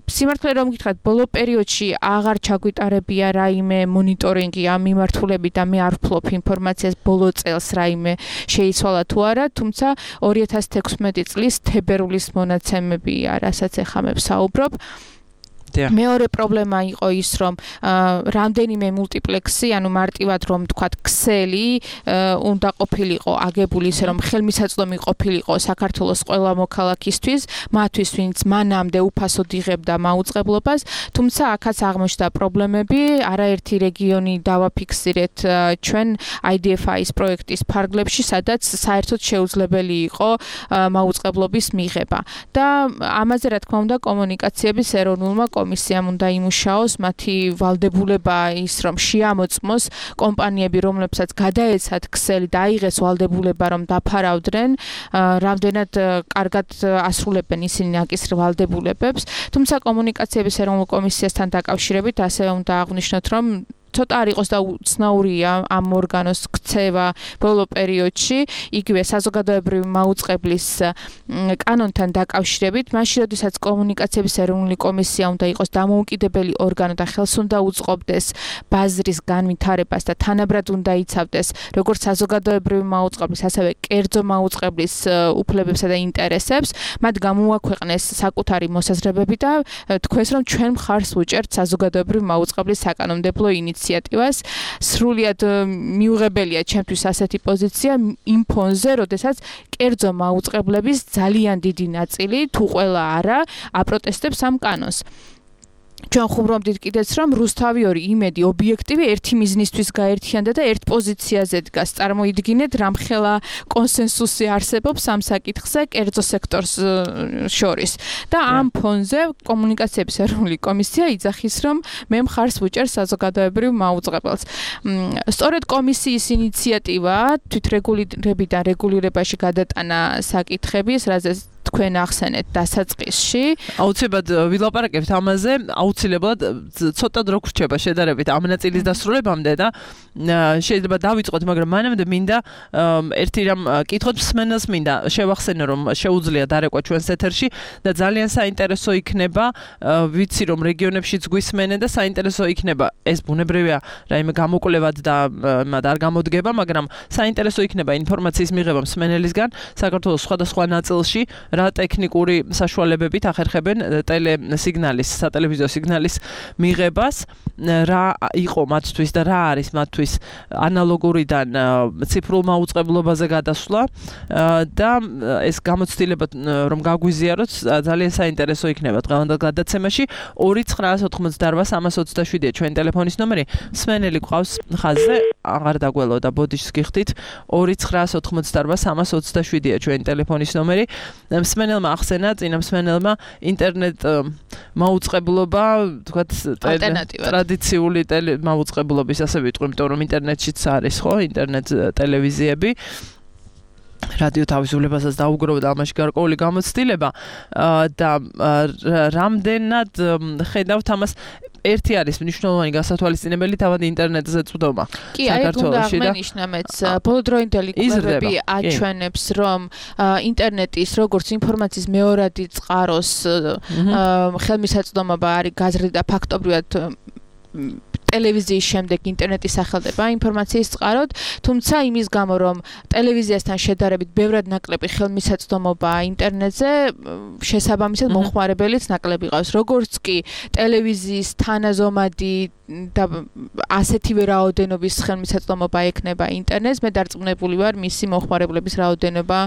სიმართლე რომ გითხრათ, ბოლო პერიოდში აღარ ჩაგვიტარებია რაიმე მონიტორინგი ამ მიმართულებით და მე არ ვფლობ ინფორმაციას ბოლო წელს რაიმე შეიცვალა თუ არა, თუმცა ორი ათას თექვსმეტი წლის თებერვლის მონაცემები რასაც ეხლა მე ვსაუბრობ. მეორე პრობლემა იყო ის, რომ რამდენიმე მულტიპლექსი, ანუ მარტივად რომ თქვათ ქსელი უნდა ყოფილიყო აგებული ისე რომ ხელმისაწვდომი ყოფილიყო საქართველოს ყველა მოქალაქისთვის, მათთვის ვინც მანამდე უფასოდ იღებდა მაუწყებლობას, თუმცა აქაც აღმოჩნდა პრობლემები, არაერთი რეგიონი დავაფიქსირეთ ჩვენ I D F I-ის პროექტის ფარგლებში, სადაც საერთოდ შეუძლებელი იყო მაუწყებლობის მიღება. და ამაზე რა თქმა უნდა კომუნიკაციების ეროვნულმა კომისიამ უნდა იმუშაოს, მათი ვალდებულება ის რომ შეამოწმოს კომპანიები, რომლებსაც გადაეცათ ქსელი და აიღეს ვალდებულება რომ დაფარავდნენ, რამდენად კარგად ასრულებენ ისინი აკის ვალდებულებებს. თუმცა კომუნიკაციების ეროვნულ კომისიასთან დაკავშირებით ასევე უნდა აღვნიშნოთ, რომ ცოტა არ იყოს და უცნაურია ამ ორგანოს ქცევა ბოლო პერიოდში, იგივე საზოგადოებრივი მაუწყებლის კანონთან დაკავშირებით, მაშინ როდესაც კომუნიკაციების ეროვნული კომისია უნდა იყოს დამოუკიდებელი ორგანო და ხელს უნდა უწყობდეს ბაზრის განვითარებას და თანაბრად უნდა იცავდეს როგორც საზოგადოებრივი მაუწყებლის, ასევე კერძო მაუწყებლის უფლებებსა და ინტერესებს, მათ გამოუაქვეყნეს საკუთარი მოსაზრებები და თქვენს რომ ჩვენ მხარს ვუჭერთ საზოგადოებრივი მაუწყებლის საკანონმდებლო ინიციატივას. სრულიად მიუღებელია ჩემთვის ასეთი პოზიცია იმ ფონზე, როდესაც კერძო მაუწყებლების ძალიან დიდი ნაწილი, თუ ყველა არა, აპროტესტებს ამ კანონს. ჩვენ ხუმრობდით კიდეც რომ რუსთავი ორი იმედი ობიექტივი ერთი მიზნისთვის გაერთიანდა და ერთ პოზიციაზე დგას. წარმოიდგინეთ, რამხელა კონსენსუსი არსებობს ამ საკითხზე კერძო სექტორს შორის. და ამ ფონზე კომუნიკაციების ეროვნული კომისია იძახის, რომ მე მხარს ვუჭერ საზოგადოებრივ მაუწყებელს. სწორედ კომისიის ინიციატივა თვითრეგულირებიდან რეგულირებაში გადატანა საკითხების, რაზეც თქვენ ახსენეთ დასაწყისში. აუცილებლად ვილაპარაკებთ ამაზე, აუცილებლად ცოტა დრო გრჩება შედარებით ამ ნაწილის დასრულებამდე და შეიძლება დავიწყოთ, მაგრამ მანამდე მინდა ერთი რამ კითხოთ მსმენელს მინდა შევახსენო, რომ შეუძლია დარეკვა ჩვენს ეთერში და ძალიან საინტერესო იქნება, ვიცი რომ რეგიონებშიც გვისმენენ და საინტერესო იქნება, ეს ბუნებრივია, რაიმე გამოკვლევად და მათ არ გამოდგება, მაგრამ საინტერესო იქნება ინფორმაციის მიღება მსმენელისგან საქართველოს სხვადასხვა ნაწილში. რა ტექნიკური საშუალებებით ახერხებენ ტელესიგნალის, სატელევიზიო სიგნალის მიღებას, რა იყო მათთვის და რა არის მათთვის ანალოგურიდან ციფრულ მაუწყებლობაზე გადასვლა და ეს გამოცდილება რომ გაგვიზიაროთ ძალიან საინტერესო იქნება დღევანდელ გადაცემაში. ორი ცხრაას ოთხმოცდაორვა სამას ოცდაშვიდია ჩვენი ტელეფონის ნომერი. მსმენელი გვყავს ხაზზე, აღარ დაგველოდა, ბოდიშს გიხდით. ორი ცხრაას ოთხმოცდაორვა სამას ოცდაშვიდია ჩვენი ტელეფონის ნომერი. მსმენელმა ახსენა, წინა მსმენელმა ინტერნეტ მაუწყებლობა, თქვათ, ტრადიციული მაუწყებლობის ასე ვიტყვი, იმიტომ რომ ინტერნეტშიც არის, ხო, ინტერნეტ ტელევიზიები. რადიო თავისუფლებასაც დაუგროვდა ამაში გარკვეული გამოცდილება და რამდენად ხედავთ ამას. ერთი არის მნიშვნელოვანი გასათვალისწინებელი თავად ინტერნეტზე წვდომა. კი, აი უნდა აღნიშნა მეც ბოლოდროინდელი კვლევები აჩვენებს, რომ ინტერნეტის როგორც ინფორმაციის მეორადი წყაროს ხელმისაწვდომობა არის გაზრდა ფაქტობრივად ტელევიზიის შემდეგ ინტერნეტის სახელდება ინფორმაციის წყაროდ, თუმცა იმის გამო რომ ტელევიზიასთან შედარებით ბევრად ნაკლები ხელმისაწვდომობა ინტერნეტზე, შესაბამისად მომხმარებელიც ნაკლები ყავს. როგორც კი ტელევიზიის თანაზომადი და ასეთივე რაოდენობის ხელმისაწვდომობა ექნება ინტერნეტს, მე დარწმუნებული ვარ, მისი მომხმარებლების რაოდენობა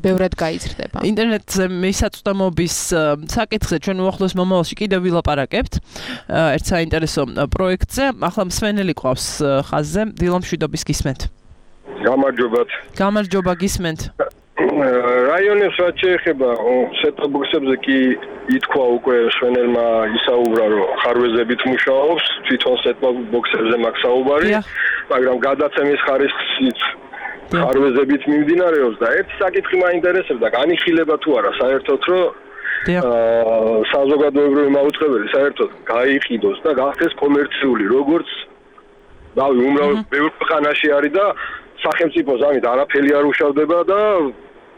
ბევრად გაიზრდება. ინტერნეტზე მისაწვდომობის საკითხზე ჩვენ უახლოეს მომავალში კიდევ ვილაპარაკებთ. ერთ საინტერესო პროექტ ახლა მსმენელი ყავს ხაზზე, დილა მშვიდობის გისმენთ. გამარჯობათ. გამარჯობა, გისმენთ. რაიონებს რაც შეეხება სეტ-ბოქსებზე კი ითქვა უკვე მსმენელმა ისაუბრა, რომ ხარვეზებით მუშაობს, თვითონ სეტ-ბოქსებზე მაქვს საუბარი, მაგრამ გადაცემის ხარისხით ხარვეზებით მიმდინარეობს და ერთ საკითხი მაინტერესებდა, განიხილება თუ არა საერთოდ, რომ საზოგადოებრივი მაუწყებელი საერთოდ გაიყიდოს და გახდეს კომერციული, როგორც დავი უმრავ ბევრ ქვეყანაში არის და სახელმწიფოს ამით არაფერი არ უშავდება და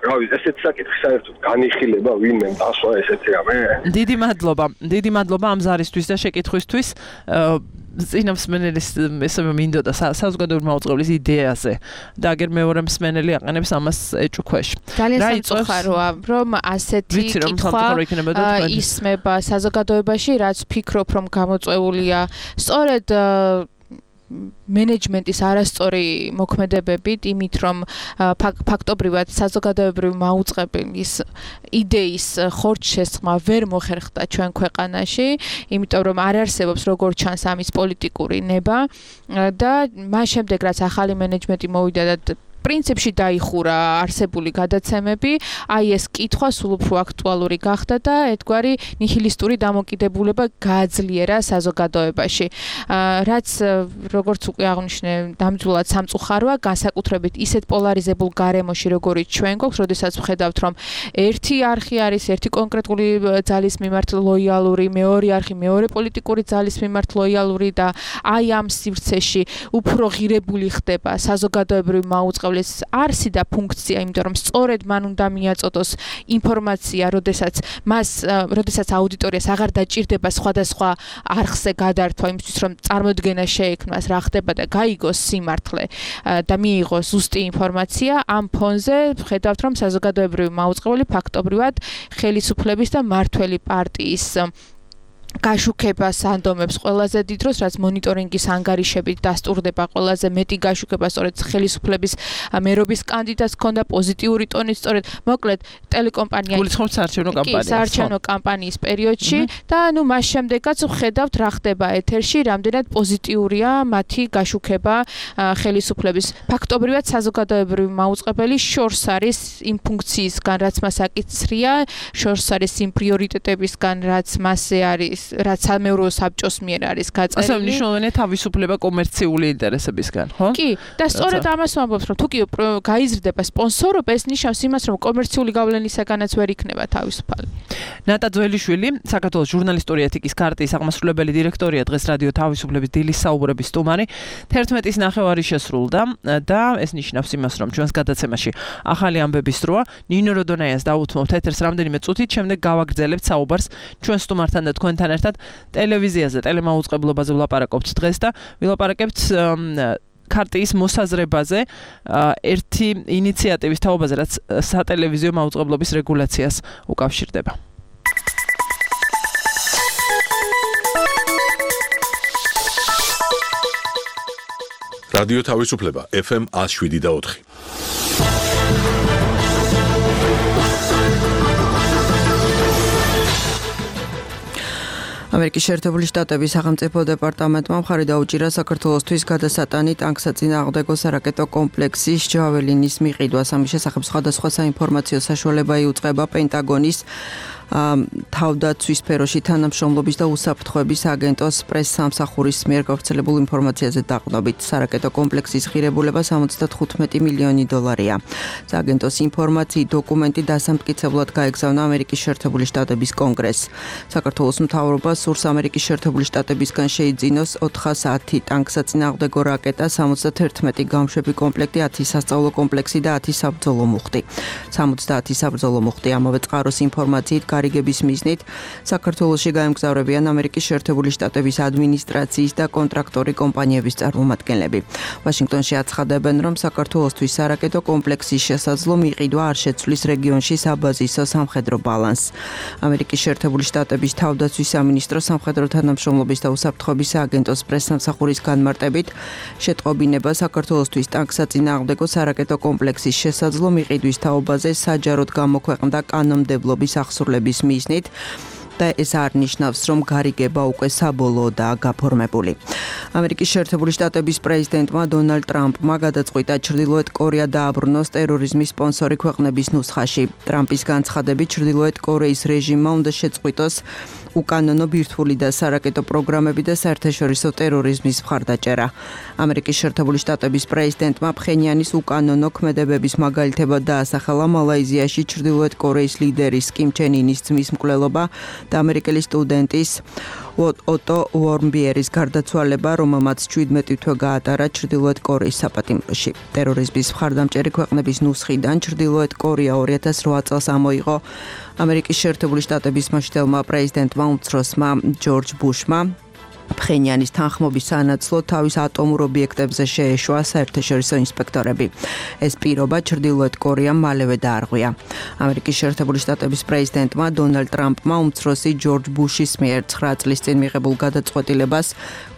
რავი, ესეც საკითხი საერთოდ განიხილება ვინმე დასვა ესეთი რამე. დიდი მადლობა, დიდი მადლობა ამ ზარისთვის და შეკითხვისთვის. წინა მსმენელის ესევე მინდოდა საზოგადოებრივი მაუწყებლის იდეაზე და აგერ მეორე მსმენელი აყენებს ამას ეჭუქვეშ. ძალიან სამწუხაროა, რომ ასეთი კითხვა ისმება საზოგადოებაში, რაც ვფიქრობ, რომ გამოწვეულია სწორედ მენეჯმენტის არასწორი მოქმედებებით, იმით რომ ფაქტობრივად საზოგადოებრივი მაუწყებლის იდეის ხორცშესხმა ვერ მოხერხდა ჩვენ ქვეყანაში, იმიტომ რომ არ არსებობს როგორც ჩანს ამის პოლიტიკური ნება და მას შემდეგ რაც ახალი მენეჯმენტი მოვიდა და პრინციპში დაიხურა არსებული გადაცემები, აი ეს კითხვა სულ უფრო აქტუალური გახდა და ერთგვარი ნიჰილისტური დამოკიდებულება გააძლიერა საზოგადოებაში. რაც როგორც უკვე აღნიშნე, დამძულად სამწუხაროა, განსაკუთრებით ისეთ პოლარიზებულ გარემოში, როგორიც ჩვენ გვაქვს, როდესაც ვხედავთ, რომ ერთი არხი არის ერთი კონკრეტული ძალის მიმართ ლოიალური, მეორე არხი მეორე პოლიტიკური ძალის მიმართ ლოიალური და აი ამ სივრცეში უფრო ღირებული ხდება საზოგადოებრივი მაუწყებლის არსი და ფუნქცია, იმიტომ რომ სწორედ მან უნდა მიაწოდოს ინფორმაცია, როდესაც მას, როდესაც აუდიტორიას აღარ დაჭირდება სხვადასხვა არხზე გადართვა იმისთვის, რომ წარმოდგენა შეექმნას, რა ხდება და გაიგოს სიმართლე და მიიღოს ზუსტი ინფორმაცია. ამ ფონზე ხედავთ, რომ საზოგადოებრივი მაუწყებელი ფაქტობრივად ხელისუფლების და მმართველი პარტიის გაშუქებას ანდომებს ყველაზე დიდ დროს, რაც მონიტორინგის ანგარიშებით დასტურდება ყველაზე მეტი გაშუქება სწორედ ხელისუფლების მერობის კანდიდატს ქონდა პოზიტიური ტონით, სწორედ მოკლედ ტელეკომპანია გულისხმობს საარჩევნო კამპანიას. საარჩევნო კამპანიის პერიოდში და ნუ მას შემდეგაც ვხედავთ რა ხდება ეთერში, რამდენად პოზიტიურია მათი გაშუქება ხელისუფლების. ფაქტობრივად საზოგადოებრივი მაუწყებელი შორს არის იმ ფუნქციისგან, რაც მას აკისრია, შორს არის იმ პრიორიტეტებისგან, რაც მასზე არის რაც სამეურვეო საბჭოს მიერ არის გაწერილი. ასე მნიშვნელოვანია თავისუფლება კომერციული ინტერესებისგან, ხო? კი, და სწორედ ამას ვამბობთ, რომ თუ კი გაიზრდება სპონსორობა, ეს ნიშნავს იმას, რომ კომერციული გავლენისაგანაც ვერ იქნება თავისუფალი. ნატა ძველიშვილი, საქართველოს ჟურნალისტური ეთიკის ქარტიის აღმასრულებელი დირექტორია, დღეს რადიო თავისუფლების დილის საუბრების სტუმარი. თერთმეტის ნახევარი შესრულდა და ეს ნიშნავს იმას, რომ ჩვენს გადაცემაში ახალი ამბების დროა. ნინო როდონაიას დაუთმობთ ეთერს რამდენიმე წუთით, შემდეგ გავაგრძელებთ საუბარს ჩვენ სტუმართან და თქვენთან ერთად ტელევიზიაზე, ტელემაუწყებლობაზე ვლაპარაკობთ დღეს და ვილაპარაკებთ ქარტიის მოსაზრებაზე, ერთი ინიციატივის თაობაზე, რაც სატელევიზიო მაუწყებლობის რეგულაციას უკავშირდება. რადიო თავისუფლება ეფ ემ ათს შვიდი და ოთხი. ამერიკის შეერთებული შტატების სახელმწიფო დეპარტამენტმა მხარი დაუჭირა საქართველოსთვის გადასატანი ტანკსაწინააღმდეგო სარაკეტო კომპლექსის ჯაველინის მიყიდვას. ამის შესახებ სხვადასხვა საინფორმაციო საშუალება იუწყება პენტაგონის თავდაცვის სფეროში თანამშრომლობის და უსაფრთხოების აგენტოს პრეს-სამსახურის მიერ გავრცელებულ ინფორმაციაზე დაყრდნობით. სარაკეტო კომპლექსის ღირებულება სამოცდათხუთმეტი მილიონი დოლარია. აგენტოს ინფორმაციით დოკუმენტი დასამტკიცებლად გაეგზავნა ამერიკის შეერთებული შტატების კონგრესს. საქართველოს მთავრობა სურს ამერიკის შეერთებული შტატებისგან შეიძინოს ოთხასათი ტანკსაწინააღმდეგო რაკეტა, სამოცდაერთმეტი გამშვები კომპლექტი, ათი სასწავლო კომპლექსი და ათი საბრძოლო მუხტი. სამოცდაათი საბრძოლო მუხტი. ამავე წყაროს ინფორმაციით გარიგების მიზნით საქართველოში გაემგზავრებიან ამერიკის შეერთებული შტატების ადმინისტრაციის და კონტრაქტორი კომპანიების წარმომადგენლები. ვაშინგტონში აცხადებენ, რომ საქართველოსთვის სარაკეტო კომპლექსის შესაძლო მიყიდვა არ შეცვლის რეგიონში საბაზისო სამხედრო ბალანსს. ამერიკის შეერთებული შტატების თავდაცვის სამინისტრო სამხედრო თანამშრომლობის და უსაფრთხოების აგენტოს პრეს-სამსახურის განმარტებით შეტყობინება საქართველოსთვის ტანკსაწინააღმდეგო სარაკეტო კომპლექსის შესაძლო მიყიდვის თაობაზე საჯაროდ გამოქვეყნდა კანონმდებლობის ახსრულების მიზნით და ეს არ ნიშნავს, რომ გარიგება უკვე საბოლოოდაა გაფორმებული. ამერიკის შეერთებული შტატების პრეზიდენტმა დონალდ ტრამპმა გადაწყვიტა ჩრდილოეთ კორეა დააბრუნოს ტერორიზმის სპონსორი ქვეყნების ნუსხაში. ტრამპის განცხადებით ჩრდილოეთ კორეის რეჟიმმა უნდა შეწყვიტოს უკანონო ბირთვული და სარაკეტო პროგრამები და საერთაშორისო ტერორიზმის მხარდაჭერა. ამერიკის შეერთებული შტატების პრეზიდენტმა ფხენიანის უკანონო ქმედებების მაგალითებად დაასახელა მალაიზიაში ჩრდილოეთ კორეის ლიდერის კიმ ჩენ ინის ძმის მკვლელობა და ამერიკელი სტუდენტის ოტო უორმბიერის გარდაცვალება, რომელმაც შვიდმეტი თვე გაატარა ჩრდილოეთ კორეის საპატიმროში. ტერორიზმის მხარდამჭერი ქვეყნების ნუსხიდან ჩრდილოეთ კორეა ორი ათას რვა წელს ამოიღო ამერიკის შეერთებული შტატების მაშტელმა პრეზიდენტმა უმცროსმა ჯორჯ ბუშმა. ფხენიანის თანხმობის სანაცვლოდ თავის ატომურ ობიექტებზე შეეშვა საერთაშორისო ინსპექტორები. ეს პირობა ჩრდილოეთ კორეამ მალევე დაარღვია. ამერიკის შეერთებული შტატების პრეზიდენტმა დონალდ ტრამპმა უმცროსი ჯორჯ ბუშის მიერ ცხრა წლის წინ მიღებულ გადაწყვეტილებას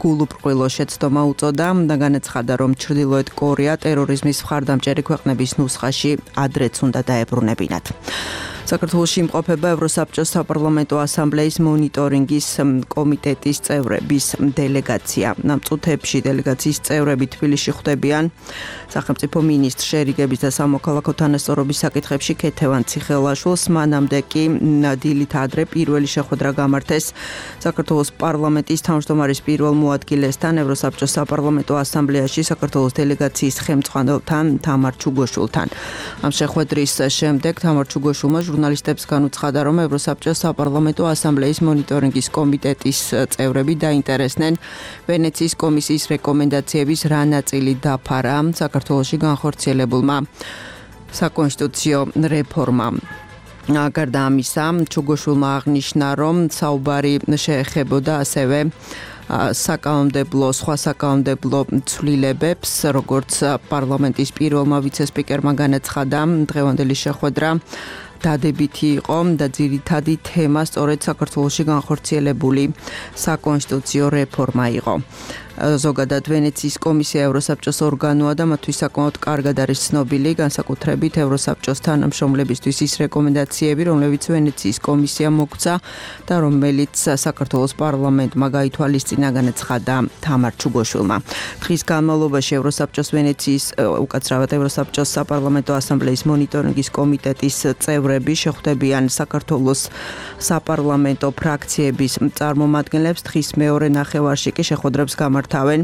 გულუბრყვილო შეცდომა უწოდა და განაცხადა, რომ ჩრდილოეთ კორეა ტერორიზმის მხარდამჭერი ქვეყნების ნუსხაში ადრეც უნდა დაებრუნებინათ. საქართველოში იმყოფება ევროსაბჭოს საპარლამენტო ასამბლეის მონიტორინგის კომიტეტის წევრების დელეგაცია. ამ წუთებში დელეგაციის წევრები თბილისში ხვდებიან სახელმწიფო მინისტრ შერიგების და სამოქალაქო თანასწორობის საკითხებში ქეთევან ციხელაშვილს. მანამდე კი დილით ადრე პირველი შეხვედრა გამართეს საქართველოს პარლამენტის თავმჯდომარის პირველ მოადგილესთან ევროსაბჭოს საპარლამენტო ასამბლეაში საქართველოს დელეგაციის ხელმძღვანელთან თამარ ჩუგოშვილთან. ამ შეხვედრის შემდეგ თამარ ჩუგოშვილმა ჟურნალისტებს განუცხადა, რომ ევროსაბჭოს საპარლამენტო ასამბლეის მონიტორინგის კომიტეტის წევრები დაინტერესდნენ ვენეციის კომისიის რეკომენდაციების რა ნაწილი დაფარა საქართველოში განხორციელებულმა საკონსტიტუციო რეფორმამ. გარდა ამისა, ჩუგოშვილმა აღნიშნა, რომ საუბარი შეეხებოდა ასევე საკანონმდებლო სხვა საკანონმდებლო ცვლილებებს, როგორც პარლამენტის პირველმა ვიცე-სპიკერმა განაცხადა, დღევანდელი შეხვედრა დადებითი იყო და ძირითადი თემა სწორედ საქართველოში განხორციელებული საკონსტიტუციო რეფორმა იყო. ზოგადად ვენეციის კომისია ევროსაბჭოს ორგანოა და მათთვის საკმაოდ კარგად არის ცნობილი, განსაკუთრებით ევროსაბჭოს თანამშრომლებისთვის ის რეკომენდაციები, რომლებიც ვენეციის კომისიამ მოგცა და რომელიც საქართველოს პარლამენტმა გაითვალისწინა, განაცხადა თამარ ჩუგოშვილმა. დღის განმავლობაში ევროსაბჭოს ვენეციის უკაცრავად ევროსაბჭოს საპარლამენტო ასამბლეის მონიტორინგის კომიტეტის წევრები შეხვდებიან საქართველოს საპარლამენტო ფრაქციების წარმომადგენლებს. დღის მეორე ნახევარში კი შეხვედრებს გამართავენ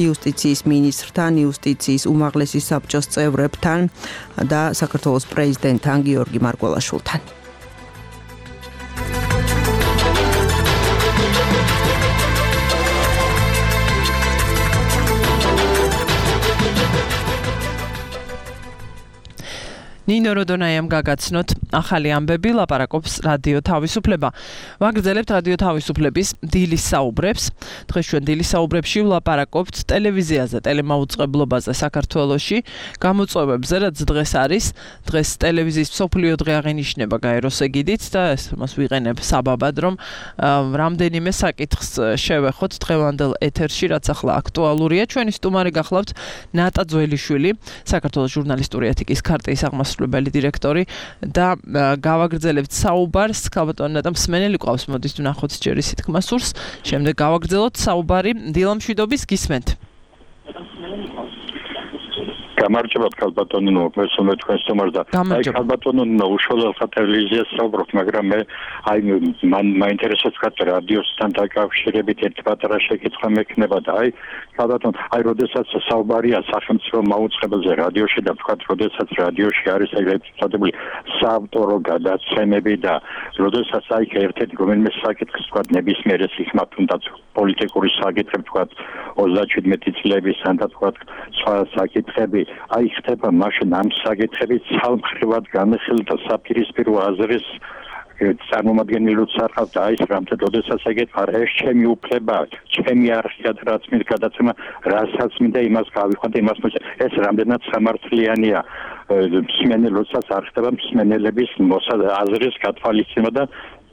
იუსტიციის მინისტრთან, იუსტიციის უმაღლესი საბჭოს წევრებთან და საქართველოს პრეზიდენტთან გიორგი მარგველაშვილთან. ნინო როდონაიამ გაგაცნოთ ახალი ამბები, ლაპარაკობს რადიო თავისუფლება. ვაგრძელებთ რადიო თავისუფლების დილის საუბრებს. დღეს ჩვენ დილის საუბრებში ვლაპარაკობთ ტელევიზიაზე, ტელემაუწყებლობაზე საქართველოში, გამოწვევებზე, რაც დღეს არის. დღეს ტელევიზიის მსოფლიო დღე აღინიშნება გაეროს ეგიდით და მას ვიყენებ საბაბად, რომ რამდენიმე საკითხს შევეხოთ დღევანდელ ეთერში, რაც ახლა აქტუალურია. ჩვენი სტუმარი გახლავთ ნატა ძველიშვილი, საქართველოს ჟურნალისტური ეთიკის ქარტიის აღმასრულებელი დირექტორი და გავაგრძელებთ საუბარს. ქალბატონი ნატა მსმენელი ყავს, მოდით ვნახოთ ჯერ ისეთ თქმასურს. შემდეგ გავაგრძელოთ საუბარი დილამშვიდობის გისმენთ. გამარჯობათ ქალბატონი, მოგესალმე თქვენ სტუმარს და აი ქალბატონი უშუალოდ ტელევიზიას საუბრობთ, მაგრამ მე აი მან მაინტერესებს ხათ რადიოსთან დაკავშირებით ერთ პატარა შეკითხვა მექნება და აი ქალბატონ, აი როდესაც საუბარია სახელმწიფო მაუწყებელზე რადიოში და ვთქვათ, როდესაც რადიოში არის ეგრეთ წოდებული საავტორო გადაცემები და როდესაც აი ერთ-ერთი რომელიმე საკითხს ვთქვათ, ნებისმიერ ეს იქ მათ თუნდაც პოლიტიკური საკითხები ვთქვათ, ოცდაშვიდმეტი წლების ან ვთქვათ, სხვა საკითხები აი ხდება მაშინ ამ საკითხები ცალმხრივად განხილ და საპირისპირო აზრის წარმომადგენლებს არხავთ და აი რამდენ როდესაც ეგეთ არ ეს ჩემი უფლება, ჩემი არხია რაც მე გადაცემა, რასაც მინდა იმას გავიხვან და იმას მოჭა. ეს რამდენად სამართლიანია მსმენელსაც არ ხდება მსმენელების აზრის გათვალისწინება და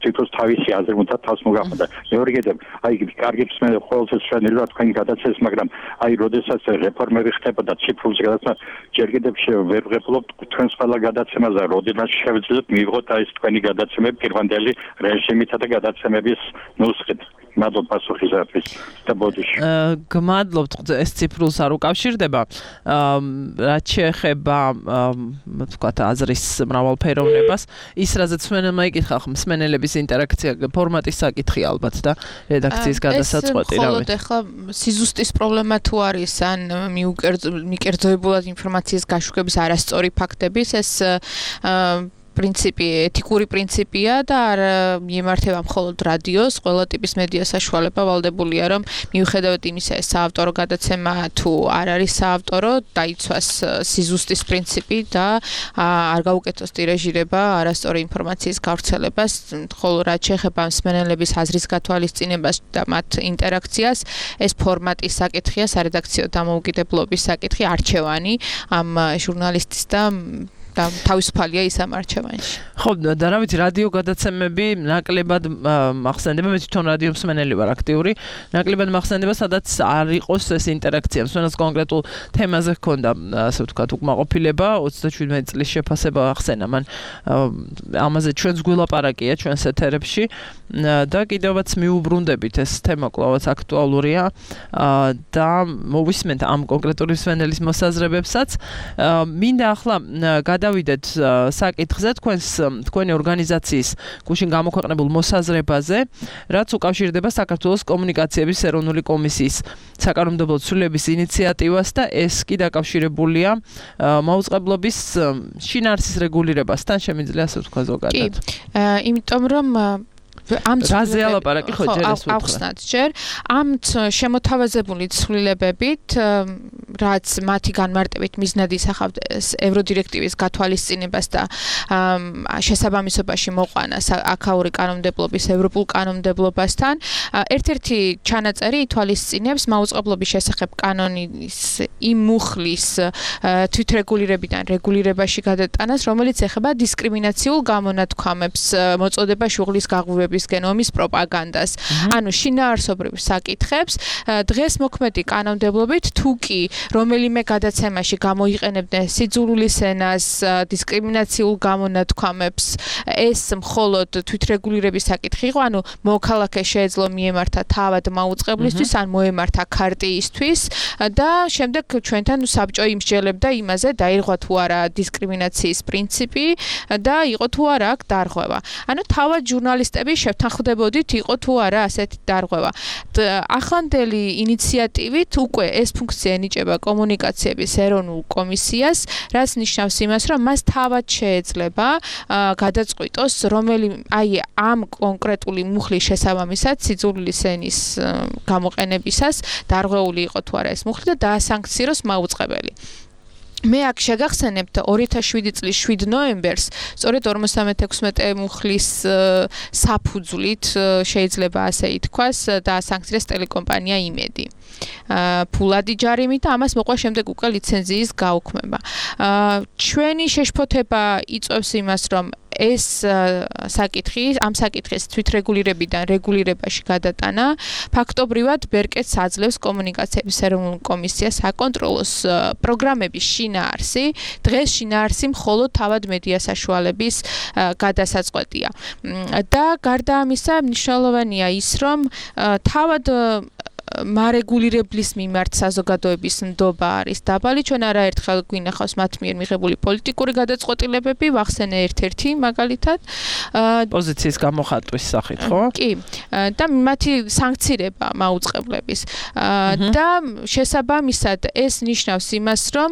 თვითონ თავისი აზრი უნდა თავს მოგახვდა. მეორე კიდევ, აი კარგი მსმენელი ყოველთვის შეიძლება თქვენი გადაცეს, მაგრამ აი როდესაც რეფორმები ხდებოდა ციფრულზე გადაცემა, ჯერ კიდევ ვერ ვღებულობთ თქვენს ყველა გადაცემაზე, როდესაც შევძლებთ მივიღოთ აი თქვენი გადაცემები პირვანდელი რეჟიმითა და გადაცემების ნუსხით. მადლობა პასუხისათვის და ბოდიში. გმადლობთ, ეს ციფრულს არ უკავშირდება. რაც შეეხება ვთქვათ აზრის მრავალფეროვნებას, ის რაზეც მსმენელმა იკითხა, მსმენელების ინტერაქცია ფორმატის საკითხი ალბათ და რედაქციის გადასაწყვეტი რავი. მხოლოდ ახლა სიზუსტის პრობლემა თუ არის ან მიკერძოებულად ინფორმაციის გაშვების არასწორი ფაქტების, ეს პრინციპი, ეთიკური პრინციპია და არ მიემართება მხოლოდ რადიოს, ყველა ტიპის მედია საშუალება ვალდებულია, რომ მიუხედავად იმისა, ეს საავტორო გადაცემა თუ არ არის საავტორო, დაიცვას სიზუსტის პრინციპი და არ გაუკეთოს ტირაჟირება არასწორი ინფორმაციის გავრცელებას, ხოლო რაც შეეხება მსმენელების აზრის გათვალისწინებას და მათ ინტერაქციას, ეს ფორმატის საკითხია, სარედაქციო დამოუკიდებლობის საკითხი, არჩევანი ამ ჟურნალისტის და და თავისუფალია ის ამ არჩევანში. ხო, და რა ვიცი, რადიო გადაცემები ნაკლებად მახსენდება, მე თვითონ რადიო მსმენელი ვარ აქტიური, ნაკლებად მახსენდება, სადაც არ იყოს ეს ინტერაქცია, მსმენელს კონკრეტულ თემაზე ჰქონდა, ასე ვთქვათ, უკმაყოფილება, ოცდაშვიდმეტი წლის შეფასება ახსენა, მან ამაზე ჩვენს გულაპარაკია ჩვენს ეთერებში და კიდევაც მიუბრუნდებით, ეს თემა კვლავაც აქტუალურია და მოვისმენთ ამ კონკრეტული მსმენელის მოსაზრებებსაც. მინდა ახლა გადავიდეთ საკითხზე თქვენს თქვენი ორგანიზაციის გუშინ გამოქვეყნებულ მოსაზრებაზე, რაც უკავშირდება საქართველოს კომუნიკაციების ეროვნული კომისიის საკანონმდებლო ცვლილების ინიციატივას და ეს კი დაკავშირებულია მაუწყებლობის შინაარსის რეგულირებასთან, შემიძლია ასე ვთქვა ზოგადად. კი, იმიტომ რომ ამ ცვლილებები ხო ახსნათ ჯერ ამ შემოთავაზებული ცვლილებებით რაც მათი განმარტებით მიზნად ისახავთ ევროდირექტივის გათვალისწინებას და შესაბამისობაში მოყვანა აქაური კანონმდებლობის ევროპულ კანონმდებლობასთან ერთ-ერთი ჩანაწერი ითვალისწინებს მაუწყებლობის შესახებ კანონის იმ მუხლის თვითრეგულირებიდან რეგულირებაში გადატანას რომელიც ეხება დისკრიმინაციულ გამონათქვამებს მოწოდება შუღლის გაღვივების გენომის პროპაგანდას. ანუ შინაარსობრივ საკითხებს დღეს მოქმედი კანონმდებლობით თუ კი რომელიმე გადაცემაში გამოიყენებდნენ სიძულვილის ენას, დისკრიმინაციულ გამონათქვამებს, ეს მხოლოდ თვითრეგულირების საკითხი იყო, ანუ მოქალაქე შეეძლო მიემართა თავად მაუწყებლისთვის, ან მოემართა ქარტიისთვის და შემდეგ ჩვენთან საბჭო იმსჯელებდა იმაზე, დაირღვა თუ არა დისკრიმინაციის პრინციპი და იყო თუ არა აქ დარღვევა. ანუ თავად ჟურნალისტები შევთანხმდებოდით იყო თუ არა ასეთი დარღვევა. ახლანდელი ინიციატივით უკვე ეს ფუნქცია ენიჭება კომუნიკაციების ეროვნულ კომისიას, რაც ნიშნავს იმას, რომ მას თავად შეეძლება გადაწყვიტოს რომელი აი ამ კონკრეტული მუხლის შესაბამისად სიძულვილის ენის გამოყენებისას დარღვეული იყო თუ არა ეს მუხლი და დაასანქციროს მაუწყებელი. მე აქ შეგახსენებთ ორი ათას შვიდი წლის შვიდ ნოემბერს სწორედ ორმოცდამეექვსმეტე მუხლის საფუძვლით შეიძლება ასე ითქვას დაასანქცირეს ტელეკომპანია იმედი. ფულადი ჯარიმით და ამას მოყვა შემდეგ უკვე ლიცენზიის გაუქმება. ჩვენი შეშფოთება იწვევს იმას, რომ ეს საკითხი, ამ საკითხის თვითრეგულირებიდან რეგულირებაში გადატანა ფაქტობრივად ბერკეტს აძლევს კომუნიკაციების ეროვნულ კომისიას აკონტროლოს პროგრამების შინაარსი. დღეს შინაარსი მხოლოდ თავად მედია საშუალების გადასაწყვეტია. და გარდა ამისა მნიშვნელოვანია ის, რომ თავად მარეგულირებლის მიმართ საზოგადოების ნდობა არის დაბალი. ჩვენ არაერთხელ გვინახავს მათ მიერ მიღებული პოლიტიკური გადაწყვეტილებები, ვახსენე ერთ-ერთი მაგალითად პოზიციის გამოხატვის სახით, ხო? კი. და მათი სანქცირება მაუწყებლების. და შესაბამისად ეს ნიშნავს იმას, რომ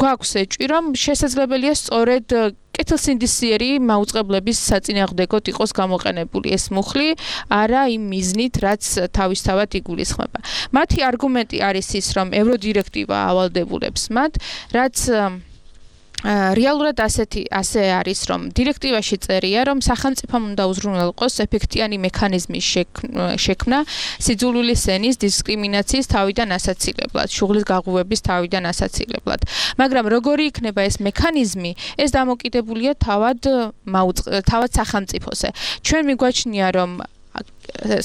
გვაქვს ეჭვი, რომ შესაძლებელია სწორედ კეთილსინდისიერი მაუწყებლების საწინააღმდეგოდ იყოს გამოყენებული ეს მუხლი, არა იმ მიზნით, რაც თავისთავად იგულისხმება. მათი არგუმენტი არის ის, რომ ევროდირექტივა ავალდებულებს მათ, რაც რეალურად ასეთი ასე არის, რომ დირექტივაში წერია, რომ სახელმწიფომ უნდა უზრუნველყოს ეფექტიანი მექანიზმის შექმნა სიძულვილის ენის დისკრიმინაციის თავიდან ასაცილებლად, შუღლის გაღვივების თავიდან ასაცილებლად. მაგრამ როგორი იქნება ეს მექანიზმი, ეს დამოკიდებულია თავად თავად სახელმწიფოზე. ჩვენ მიგვაჩნია, რომ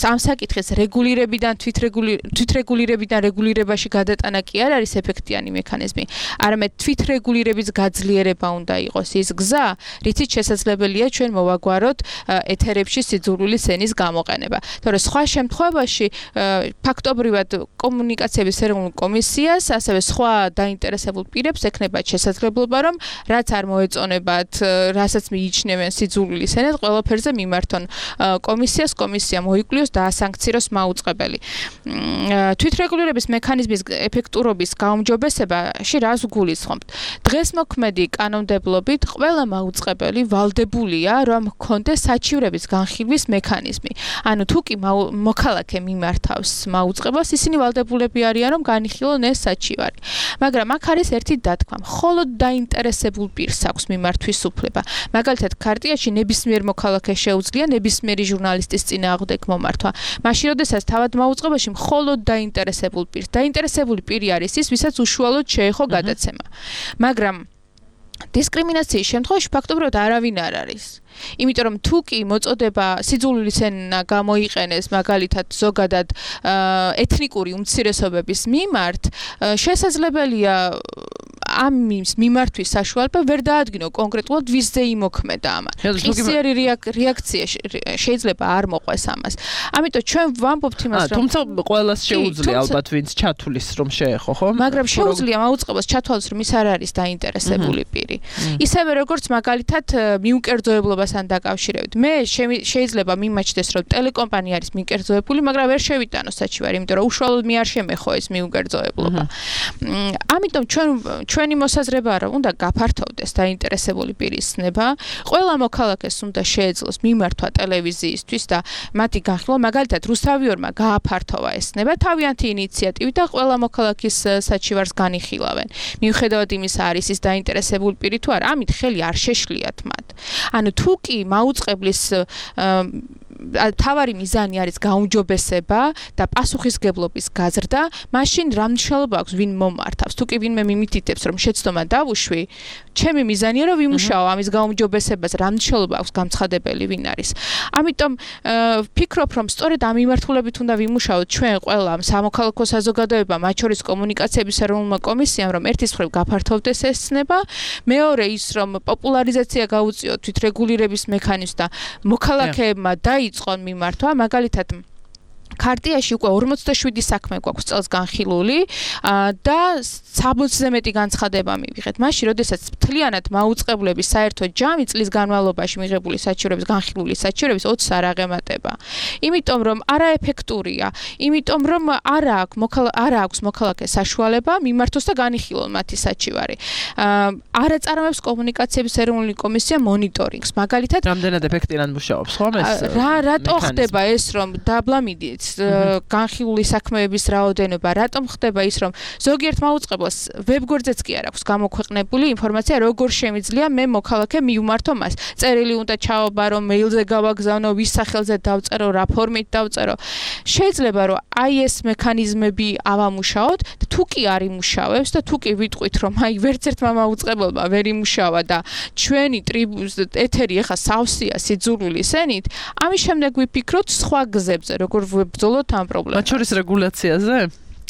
ამ საკითხის რეგულირებიდან თვითრეგულირებიდან რეგულირებაში გადატანა კი არ არის ეფექტიანი მექანიზმი, არამედ თვითრეგულირების გაძლიერება უნდა იყოს ის გზა, რითიც შესაძლებელია ჩვენ მოვაგვაროთ ეთერებში სიძულვილის ენის გამოყენება. თორე სხვა შემთხვევაში ფაქტობრივად კომუნიკაციების ეროვნულ კომისიას, ასევე სხვა დაინტერესებულ პირებს ექნება შესაძლებლობა, რომ რაც არ მოეწონებათ, რასაც მიიჩნევენ სიძულვილის ენად, ყველაფერზე მიმართონ კომისიას, კომისია მოიკვლიოს და ასანქციროს მაუწყებელი. თვითრეგულირების მექანიზმის ეფექტურობის გაუმჯობესებაში რას გულისხმობთ? დღეს მოქმედი კანონმდებლობით ყველა მაუწყებელი ვალდებულია, რომ ჰქონდეს საჩივრების განხილვის მექანიზმი. ანუ თუ კი მოქალაქე მიმართავს მაუწყებელს, ისინი ვალდებულები არიან, რომ განიხილონ ეს საჩივარი. მაგრამ აქ არის ერთი დათქმა. მხოლოდ დაინტერესებულ პირს აქვს მიმართვის უფლება. მაგალითად, ქარტიაში ნებისმიერ მოქალაქეს შეუძლია ნებისმიერი ჟურნალისტის წინააღმდეგ მომართვა. მაშინ, როდესაც თავად მაუწყებელში მხოლოდ დაინტერესებულ პირს, დაინტერესებული პირი არის ის, ვისაც უშუალოდ შეეხო გადაცემა. მაგრამ დისკრიმინაციის შემთხვევაში ფაქტობრივად არავინ არ არის. იმიტომ რომ თუ კი მოწოდება სიძულვილის ენა გამოიყენეს მაგალითად ზოგადად ეთნიკური უმცირესობების მიმართ, შესაძლებელია ამის მიმართვის საშუალება ვერ დაადგინო კონკრეტულად ვისზე იმოქმედა ამან. ხისიერი რეაქცია შეიძლება არ მოყვეს ამას. ამიტომ ჩვენ ვამბობთ იმას, რომ თუმცა ყველას შეუძლია ალბათ ვინც ჩათulis რომ შეეხო, ხო? მაგრამ შეუძლია მაუწყებლად ჩათვალოს რომ ის არ არის დაინტერესებული პირი. ისევე როგორც მაგალითად მიუკერძოებლობასთან დაკავშირებით. მე შეიძლება მიმაჩნდეს რომ ტელეკომპანია არის მიკერძოებული, მაგრამ ვერ შევიტანო საჩივარი, იმიტომ რომ უშუალოდ მე არ შემეხო ეს მიუკერძოებლობა. ამიტომ ჩვენ ჩვენი მოსაზრებაა რომ უნდა გაფართოვდეს დაინტერესებული პირის ცნება, ყველა მოქალაქეს უნდა შეეძლოს მიმართვა ტელევიზიისთვის და მათი განხილვა, მაგალითად რუსთავიორმა გააფართოვა ეს ცნება თავიანთი ინიციატივით და ყველა მოქალაქის საჩივარს განიხილავენ. მიუხედავად იმისა, არის ის დაინტერესებული პირი თუ არა, ამით ხელი არ შეშლიათ მათ. ანუ თუ კი მაუწყებლის თავარი მიზანი არის გაუმჯობესება და პასუხისგებლობის გაზრდა, მაშინ რა მნიშვნელობა აქვს ვინ მომართავს? თუ კი ვინმე მიმითითებს რომ შეცდომა დავუშვი, ჩემი მიზანია რომ ვიმუშაო ამის გაუმჯობესებას, რა მნიშვნელობა აქვს გამცხადებელი ვინ არის. ამიტომ ვფიქრობ რომ სწორედ ამ მიმართულებით უნდა ვიმუშაოთ ჩვენ ყველა სამოქალაქო საზოგადოება, მათ შორის კომუნიკაციების ეროვნულმა კომისიამ, რომ ერთის მხრივ გაფართოვდეს ეს ცნება, მეორე ის რომ პოპულარიზაცია გაუწიოთ თვითრეგულირების მექანიზმს და მოქალაქეებმა დაიწყონ მიმართვა, მაგალითად ქარტიაში უკვე ორმოცდაშვიდი საქმე გვაქვს წელს განხილული და სამოცზე მეტი განცხადება მივიღეთ. მაშინ, როდესაც მთლიანად მაუწყებლების საერთო ჯამი წლის განმავლობაში მიღებული საჩივრების განხილული საჩივრების ოცს არ აღემატება. იმიტომ რომ არაეფექტურია, იმიტომ რომ არ აქვს არ აქვს მოქალაქეს საშუალება მიმართოს და განიხილონ მათი საჩივარი. არ აწარმოებს კომუნიკაციების ეროვნული კომისია მონიტორინგს. მაგალითად, რამდენად ეფექტურად მუშაობს, ხო ეს? რა რატო ხდება ეს რომ დაბლამიდით განხილული საქმეების რაოდენობა, რატომ ხდება ის რომ ზოგიერთ მაუწყებლას ვებგვერდზეც კი არ აქვს გამოქვეყნებული ინფორმაცია როგორ შემიძლია მე მოქალაქე მივმართო მას. წერილი უნდა ჩავაბარო, მეილზე გავაგზავნო, ვის სახელზე დავწერო, რა ფორმით დავწერო. შეიძლება რომ აი ეს მექანიზმები ავამუშაოთ და თუ კი არ იმუშავებს და თუ კი ვიტყვით რომ აი ვერც ერთმა მაუწყებელმა ვერ იმუშავა და ჩვენი ეთერი ახლა სავსეა სიძულვილის ენით, ამის შემდეგ ვიფიქროთ სხვა გზებზე, როგორ ბრძოლოთ ამ პრობლემას. მათ შორის რეგულაციაზე?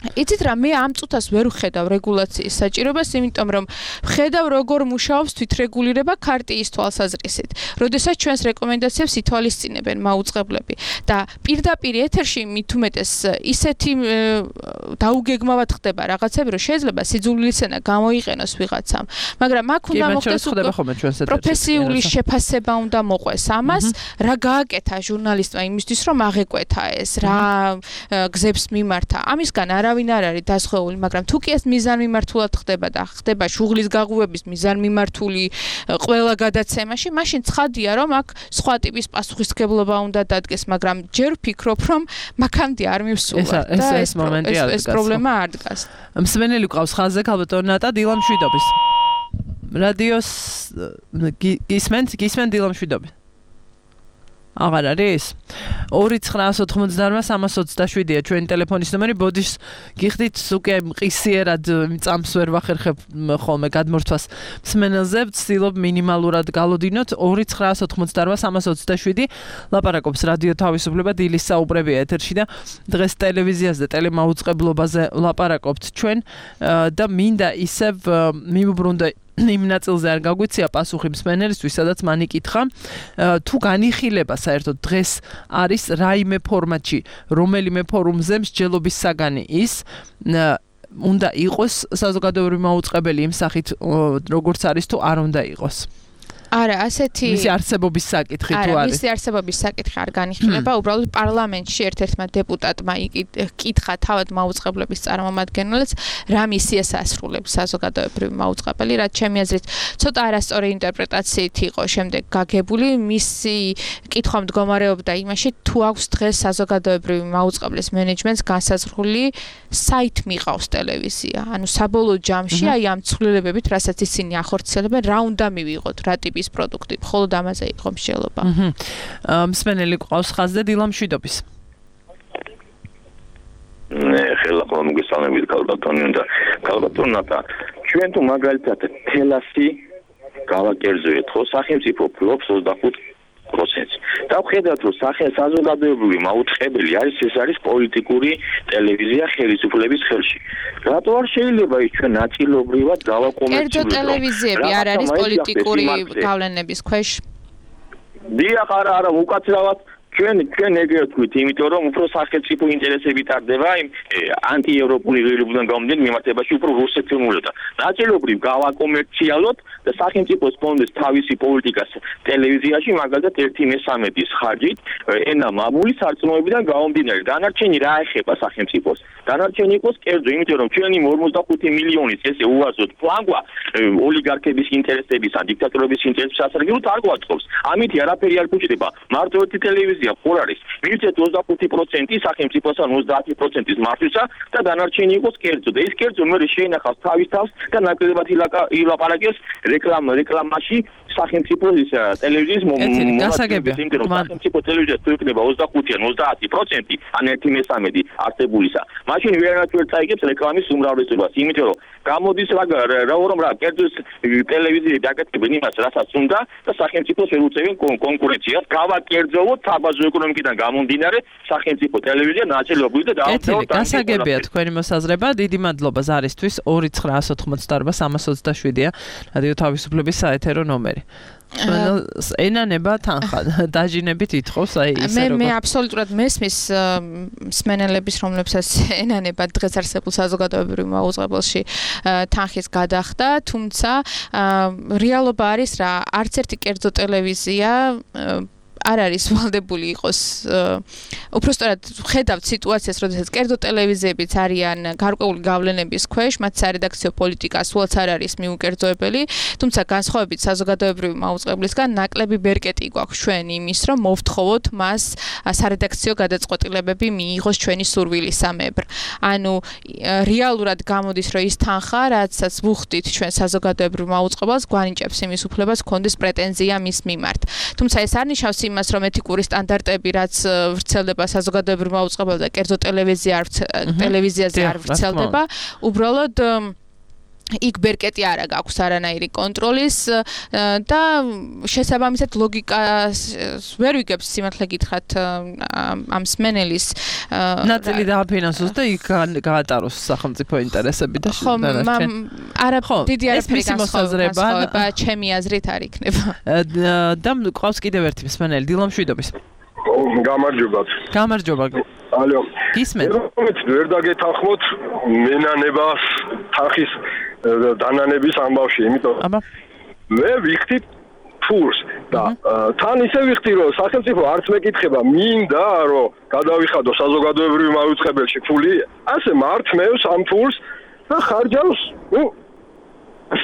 იცით რა, მე ამ წუთას ვერ ვხედავ რეგულაციის საჭიროებას, იმიტომ რომ ვხედავ როგორ მუშაობს თვითრეგულირება ქარტიის თვალსაზრისით. როდესაც ჩვენს რეკომენდაციებს ითვალისწინებენ მაუწყებლები და პირდაპირ ეთერში მით უმეტეს ისეთი დაუგეგმავად ხდება რაღაცები, რომ შეიძლება სიძულვილის ენა გამოიყენოს ვიღაცამ, მაგრამ აქ უნდა მოხდეს პროფესიული შეფასება უნდა მოყვეს ამას, რა გააკეთა ჟურნალისტმა იმისთვის, რომ აღეკვეთა ეს, რა გზებს მიმართა. ამისგან არავინ არ არის დასხეული, მაგრამ თუ კი ეს მიზანმიმართულად ხდება და ხდება შუღლის გაღუვების მიზანმიმართული ყველა გადაცემაში, მაშინ ცხადია, რომ აქ სხვა ტიპის პასუხისმგებლობა უნდა დადგეს, მაგრამ ჯერ ვფიქრობ, რომ მაქამდე არ მივსულვართ და ეს მომენტი არ დგას. ეს პრობლემა არ დგას. მსმენელი გვყავს ხაზზე, ქალბატონი ნატა დილამშვიდობის. რადიოს გისმენთ, გისმენთ დილამშვიდობის. აღარ არის? ორი ცხრა ოთხმოცდაosem სამას ოცდაშვიდია ჩვენი ტელეფონის ნომერი. ბოდიშ გიხდით უკვე მყისიერად წამს ვერ ვახერხებ ხოლმე გადმორთვას მსმენელზე, ვცდილობ მინიმალურად გალოდინოთ. ორი ცხრა ოთხმოცდაosem სამას ოცდაშვიდი ლაპარაკობს რადიო თავისუფლება, დილის საუბრებია ეთერში და დღეს ტელევიზიაზე და ტელემაუწყებლობაზე ლაპარაკობთ ჩვენ და მინდა ისევ მივუბრუნდე იმ ნაწილზე არ გაგვიცია პასუხი მსმენელისთვის, სადაც მან იკითხა, თუ განიხილება საერთოდ დღეს არის რაიმე ფორმატში, რომელიმე ფორუმზე მსჯელობის საგანი ის, უნდა იყოს საზოგადოებრივი მაუწყებელი იმ სახით, როგორც არის თუ არ უნდა იყოს. არა, ასეთი მისი არსებობის საკითხი თუ არის. არა, მისი არსებობის საკითხი არ განიხილება, უბრალოდ პარლამენტში ერთ-ერთმა დეპუტატმა იკითხა თავად მაუწყებლების წარმომადგენლებს, რა მისიას ასრულებს საზოგადოებრივი მაუწყებელი, რაც ჩემი აზრით ცოტა არასწორი ინტერპრეტაციით იყო შემდეგ გაგებული, მისი კითხვა მდგომარეობდა იმაში, თუ აქვს დღეს საზოგადოებრივი მაუწყებლის მენეჯმენტს განსაზღვრული საით მიყავს ტელევიზია. ანუ საბოლოო ჯამში აი ამ ცვლილებებით, რასაც ისინი ახორციელებენ, რა უნდა მივიღოთ, რა ტიპის პროდუქტი, მხოლოდ ამაზე იყო მსჯელობა. აჰა. მსმენელი ყავს ხაზზე დილამშვიდობის. ნე, ხელა ხოლმე მოგესალმებით ქალბატონი და ქალბატონი ნატა. ჩვენ თუ მაგალითად თელასი გავაკერძოეთ, ხო, სახელმწიფო ფლობს ოცდახუთ პროცენტს. და ვხედავთ, რომ საზოგადოებრივი მაუწყებელი არის ეს არის პოლიტიკური ტელევიზია ხელისუფლების ხელში. რატო არ შეიძლება ის ჩვენ ნაწილობრივად გავაკომერციულოთ? კერძო ტელევიზიები არ არის პოლიტიკური გავლენების ქვეშ? დიახ, არა, არა, უკაცრავად ჩვენ ჩვენ ეგრე ვთქვით, იმიტომ რომ უფრო სახელმწიფო ინტერესები ტარდება იმ ანტიევროპული ღირებულებიდან გამომდინარე მიმართებაში უფრო რუსეთმოვლოდა. ნაწილობრივ გავაკომერციალოთ და სახელმწიფოს ფონდეს თავისი პოლიტიკას ტელევიზიაში მაგალითად ერთი მესამედის ხარჯით ენა მამული სარწმუნოებიდან გამომდინარე. დანარჩენი რა ეხება სახელმწიფოს? დანარჩენი იყოს კერძო, იმიტომ რომ ჩვენი ორმოცდახუთი მილიონის ესე უაზროდ ფლანგვა ოლიგარქების ინტერესების ან დიქტატორების ინტერესების სასარგებლოდ არ გვაწყობს. ამითი არაფერი არ გუჭდება. მარტო ერთი ტელევიზია ხარ არის. მივცეთ ოცდახუთი პროცენტი სახელმწიფოს ან ოცდაათი პროცენტის მართვისა და დანარჩენი იყოს კერძო. და ეს კერძო მე შეინახავს თავის თავს და ნაკლებად ილაპარაკებს რეკლამ რეკლამაში სახელმწიფოს ტელევიზიის გასაგებია. სახელმწიფო ტელევიზია თუ იქნება ოცდახუთი ან ოცდაათი პროცენტი ან ერთი მესამედი არსებულისა. მაშინ ვერანაირად ვერ წაიგებს რეკლამის უმრავლესობას, იმიტომ რომ გამოდის რა რომ რა კერძო ტელევიზიები აკეთებენ იმას, რასაც უნდა და სახელმწიფოს ვერ უწევენ კონკურენციას. გავაკერძოვოთ საბაზრო ეკონომიკიდან გამომდინარე სახელმწიფო ტელევიზია ნაწილობრივ და დავამთავროთ. გასაგებია თქვენი მოსაზრება. დიდი მადლობა ზარისთვის. ორი ცხრა ოცდაოთხმოცდაარბა სამას ოცდაშვიდია რადიო თავისუფლების საეთერო ნომერი. ენანება თანხა დაჟინებით ითხოვს აი ისე მე მე აბსოლუტურად მესმის მსმენელების რომლებსაც ენანება დღეს არსებულ საზოგადოებრივ მაუწყებელში თანხის გადახდა, თუმცა რეალობა არის რა, არც ერთი კერძო ტელევიზია არ არის ვალდებული იყოს უпростоრად ხედავთ სიტუაციას, როდესაც კერძო ტელევიზიებიც არიან გარკვეული გავლენების ქვეშ, მათ სარედაქციო პოლიტიკა სულაც არ არის მიუკერძოებელი, თუმცა განსხვავებით საზოგადოებრივი მაუწყებლისგან ნაკლები ბერკეტი გვაქვს ჩვენ იმის, რომ მოვთხოვოთ მას სარედაქციო გადაწყვეტილებები მიიღოს ჩვენი სურვილისამებრ. ანუ რეალურად გამოდის, რომ ის თანხა, რაცაც ვუხდით ჩვენ საზოგადოებრივ მაუწყებელს, გვანიჭებს იმის უფლებას გქონდეს პრეტენზია მის მიმართ. თუმცა ეს არ ნიშნავს იმას, რომ ეთიკური სტანდარტები, რაც ვრცელდება საზოგადოებრივ მაუწყებელ და კერძო ტელევიზია ტელევიზიაზე არ ვრცელდება, უბრალოდ იქ ბერკეტი არა გაქვს არანაირი კონტროლის და შესაბამისად ლოგიკას ვერ ვიგებს სიმართლე გითხრათ ამ სმენელის ნაწილი დააფინანსოს და იქ გაატაროს სახელმწიფო ინტერესები და დანარჩენ. არა, დიდი არაფერი განსხვავება ჩემი აზრით არ იქნება. და ყავს კიდევ ერთი მსმენელი დილა მშვიდობის. გამარჯობათ. გამარჯობა. ალო. გისმენთ? ვერ დაგეთანხმოთ მენანებას თანხის დანანების ამბავში, იმიტომ აბა მე ვიხდი ფულს და თან ისე ვიხდი, რომ სახელმწიფო არც მეკითხება, მინდა რომ გადავიხადო საზოგადოებრივ მაუწყებელში ფული, ასე მართმევს ამ ფულს და ხარჯავს, ნუ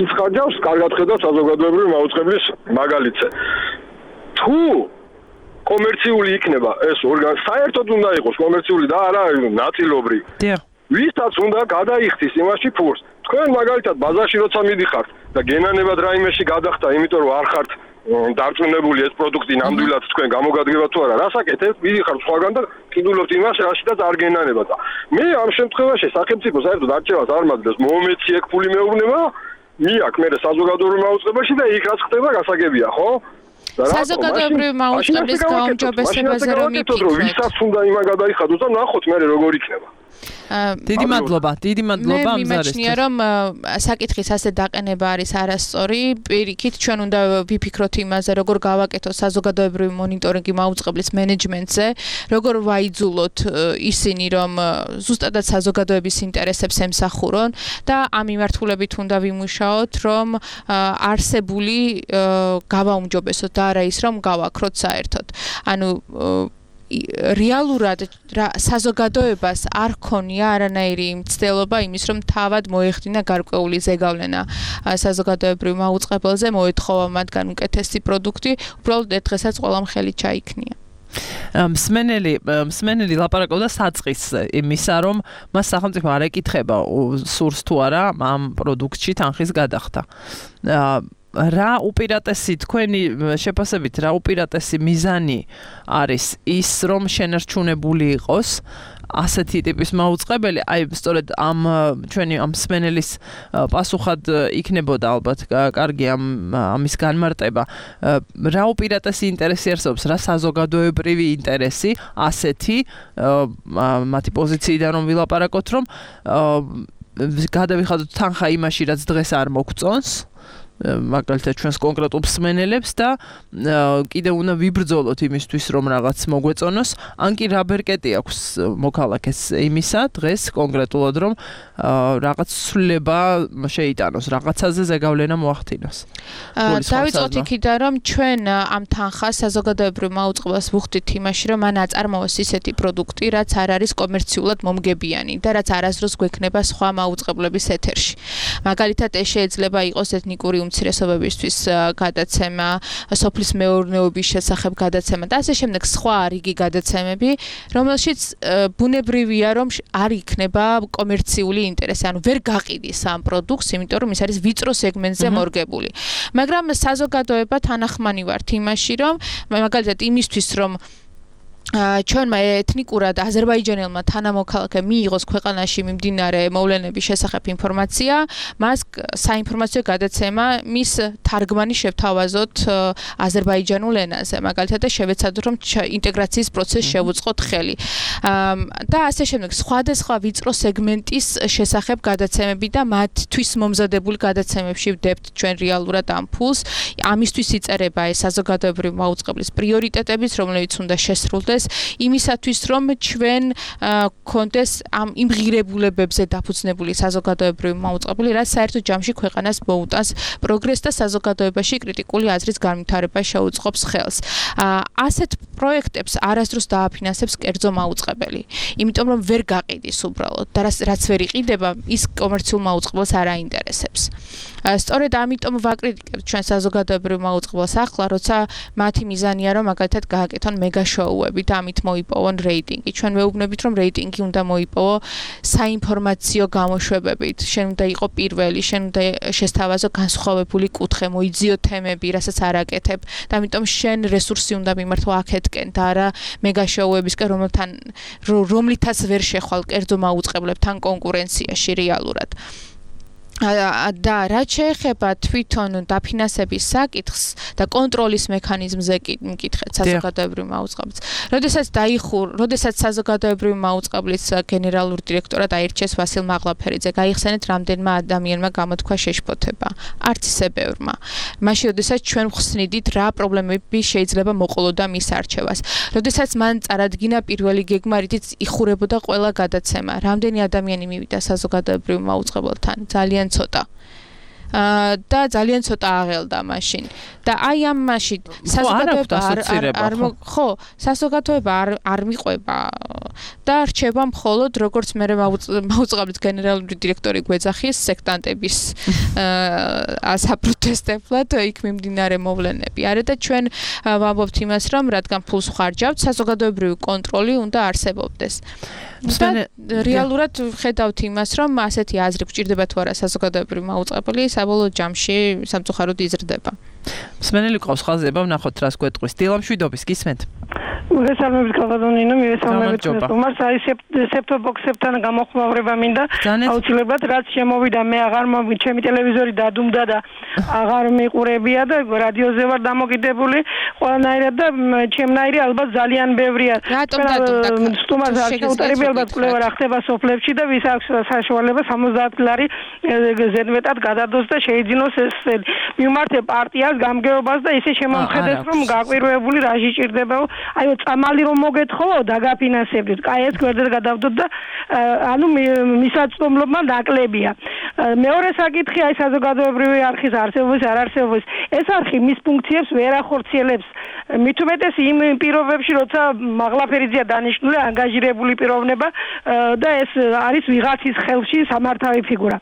ის ხარჯავს, კარგად ხედავ საზოგადოებრივ მაუწყებლის მაგალითზე. თუ კომერციული იქნება ეს ორგანო, საერთოდ უნდა იყოს კომერციული და არა ნაწილობრივ. დიახ. ვისაც უნდა გადაიხდის იმაში ფულს. თქვენ მაგალითად ბაზარში როცა მიდიხართ და გენანებად რაიმეში გადახდა, იმიტომ რომ არ ხართ დარწმუნებული ეს პროდუქტი ნამდვილად თქვენ გამოგადგება თუ არა, რასაკეთებთ? მიდიხართ სხვაგან და კიდულობთ იმას, რაშიდაც არ გენანებად. მე ამ შემთხვევაში სახელმწიფო საერთოდ არჩევას არ მაძლევს, მომეცი ეგ ფული მეუბნება, მიაკ მე საზოგადოებრივ მაუწყებელში და იქ რაც ხდება გასაგებია, ხო? საზოგადოებრივ მაუწყებლის გაუმჯობესებაზე რომ მიფიქროთ, ვისაც უნდა იმა გადაიხადოს და ნახოთ მე როგორ იქნება. დიდი მადლობა, დიდი მადლობა ამ ზარისთვის. მე მიმაჩნია, რომ საკითხის ასე დაყენება არის არასწორი. პირიქით, ჩვენ უნდა ვიფიქროთ იმაზე, როგორ გავაკეთოთ საზოგადოებრივი მონიტორინგი მაუწყებლის მენეჯმენტზე, როგორ ვაიძულოთ ისინი, რომ ზუსტადად საზოგადოების ინტერესებს ემსახურონ და ამ მიმართულებით უნდა ვიმუშაოთ, რომ არსებული გავაუმჯობესოთ და არა ის, რომ გავაქროთ საერთოდ. ანუ რეალურად საზოგადოებას არ ქონია არანაირი მცდელობა იმის, რომ თავად მოეხდინა გარკვეული ზეგავლენა საზოგადოებრივ მაუწყებელზე, მოეთხოვა მათგან უკეთესი პროდუქტი, უბრალოდ დღესაც ყველამ ხელი ჩაიქნია. მსმენელი მსმენელი ლაპარაკობდა საწყის იმისა, რომ მას სახელმწიფო არ ეკითხება სურს თუ არა ამ პროდუქტში თანხის გადახდა. რა უპირატესი თქვენი შეფასებით რა უპირატესი მიზანი არის ის რომ შენარჩუნებული იყოს ასეთი ტიპის მაუწყებელი, აი სწორედ ამ ჩვენი ამ სმენელის პასუხად იქნებოდა ალბათ კარგი ამ ამის განმარტება. რა უპირატესი ინტერესი არსებობს, რა საზოგადოებრივი ინტერესი ასეთი მათი პოზიციიდან რომ ვილაპარაკოთ, რომ გადავიხადოთ თანხა იმაში, რაც დღეს არ მოგწონს. მაგალითად ჩვენს კონკრეტულ მსმენელებს და კიდევ უნდა ვიბრძოლოთ იმისთვის რომ რაღაც მოგვეწონოს, ან კი რა ბერკეტი აქვს მოქალაქეს იმისა დღეს კონკრეტულად რომ რაღაც ცვლილება შეიტანოს, რაღაცაზე ზეგავლენა მოახდინოს. დავიწყოთ იქიდან რომ ჩვენ ამ თანხას საზოგადოებრივ მაუწყებელს ვუხდით იმაში რომ მან აწარმოოს ისეთი პროდუქტი, რაც არ არის კომერციულად მომგებიანი და რაც არასდროს გვექნება სხვა მაუწყებლების ეთერში. მაგალითად ეს შეიძლება იყოს ეთნიკური უმცირესობებისთვის გადაცემა, სოფლის მეურნეობის შესახებ გადაცემა და ასე შემდეგ სხვა რიგი გადაცემები, რომელშიც ბუნებრივია რომ არ იქნება კომერციული ინტერესი, ანუ ვერ გაყიდის ამ პროდუქტს, იმიტომ რომ ის არის ვიწრო სეგმენტზე მორგებული. მაგრამ საზოგადოება თანახმანი ვართ იმაში, რომ მაგალითად იმისთვის რომ ჩვენმა ეთნიკურად აზერბაიჯანელმა თანამოქალაქემ მიიღოს ქვეყანაში მიმდინარე მოვლენების შესახებ ინფორმაცია, მას საინფორმაციო გადაცემა მის თარგმანი შევთავაზოთ აზერბაიჯანულ ენაზე, მაგალითად და შევეცადოთ რომ ინტეგრაციის პროცესს შევუწყოთ ხელი. და ასე შემდეგ სხვადასხვა ვიწრო სეგმენტის შესახებ გადაცემები და მათთვის მომზადებული გადაცემებში ვდებთ ჩვენ რეალურად ამ ფულს. ამისთვის იწერება ეს საზოგადოებრივი მაუწყებლის პრიორიტეტებიც, რომლებიც უნდა შესრულდეს იმისათვის რომ ჩვენ გქონდეს ამ იმ ღირებულებებზე დაფუძნებული საზოგადოებრივი მაუწყებელი, რაც საერთო ჯამში ქვეყანას მოუტანს პროგრესს და საზოგადოებაში კრიტიკული აზრის განვითარებას შეუწყობს ხელს. ასეთ პროექტებს არასდროს დააფინანსებს კერძო მაუწყებელი, იმიტომ რომ ვერ გაყიდის უბრალოდ და რაც ვერ იყიდება, ის კომერციულ მაუწყებელს არ აინტერესებს. სწორედ ამიტომ ვაკრიტიკებთ ჩვენ საზოგადოებრივ მაუწყებელს ახლა, როცა მათი მიზანია რომ მაგალითად გააკეთონ მეგა შოუები და ამით მოიპოვონ რეიტინგი. ჩვენ ვეუბნებით რომ რეიტინგი უნდა მოიპოვო საინფორმაციო გამოშვებებით. შენ უნდა იყო პირველი, შენ უნდა შესთავაზო განსხვავებული კუთხე, მოიძიო თემები, რასაც არ აკეთებ და ამიტომ შენ რესურსი უნდა მიმართო აქეთკენ და არა მეგა შოუებისკენ, რომელთან რომლითაც ვერ შეხვალ კერძო მაუწყებლებთან კონკურენციაში რეალურად. და რაც შეეხება თვითონ დაფინანსების საკითხს და კონტროლის მექანიზმზე მკითხეთ საზოგადოებრივ მაუწყებელს. როდესაც დაიხურ, როდესაც საზოგადოებრივ მაუწყებლის გენერალური დირექტორად აირჩიეს ვასილ მაღლაფერიძე, გაიხსენეთ რამდენმა ადამიანმა გამოთქვა შეშფოთება. არც ისე ბევრმა. მაშინ როდესაც ჩვენ ვხსნიდით რა პრობლემები შეიძლება მოყოლოდა მის არჩევას. როდესაც მან წარადგინა პირველი გეგმა, რითიც იხურებოდა ყველა გადაცემა. რამდენი ადამიანი მივიდა საზოგადოებრივ მაუწყებელთან? ძალიან ცოტა. და ძალიან ცოტა აღელდა მაშინ. და აი ამ მაშინ საზოგადოება არ ხო, საზოგადოება არ არ მიყვება და რჩება მხოლოდ როგორც მე მაუწყებლის გენერალური დირექტორი გვეძახის სექტანტების საპროტესტებლად იქ მიმდინარე მოვლენები. არა და ჩვენ ვამბობთ იმას, რომ რადგან ფულს ხარჯავთ, საზოგადოებრივი კონტროლი უნდა არსებობდეს. და რეალურად ხედავთ იმას, რომ ასეთი აზრი გვჭირდება თუ არა საზოგადოებრივი მაუწყებელი, საბოლოო ჯამში სამწუხაროდ იზრდება. მსმენელი ყავს ხაზება, ვნახოთ რას გვეტყვის. დილამშვიდობის გისმენთ. მოგესალმებით კალბატონინო, მივესალმებით უმარს. აი სეფტობოქსებთან გამოხმაურება მინდა. აუცილებლად რაც შემოვიდა, მე აღარ მოვი, ჩემი ტელევიზორი დადუმდა და აღარ მიყურებია და რადიოზე ვარ დამოკიდებული ყველანაირად და ჩემნაირი ალბათ ძალიან ბევრია. რატომ დადუმდა? სტუმარს არ შეუტარები ალბათ კვლევა რა ხდება სოფლებში და ვის აქვს საშუალება სამოცდაათ ლარი ზედმეტად გადადოს და შეიძინოს ეს მიმართე პარტიას გამგეობას და ისე შემომხედეს რომ გაკვირვებული რაში ჭირდება. აი წამალი რომ მოგეთხოვო დაგაფინანსებდით. კაი ეს გვერდზე გადავდოთ და ანუ მისაწვდომლობა ნაკლებია. მეორე საკითხი აი საზოგადოებრივი არხის არსებობის არ არსებობის. ეს არხი მის ფუნქციებს ვერ ახორციელებს. მით უმეტეს იმ პირობებში, როცა მაღლაფერიძეა დანიშნული ანგაჟირებული პიროვნება და ეს არის ვიღაცის ხელში სამართავი ფიგურა.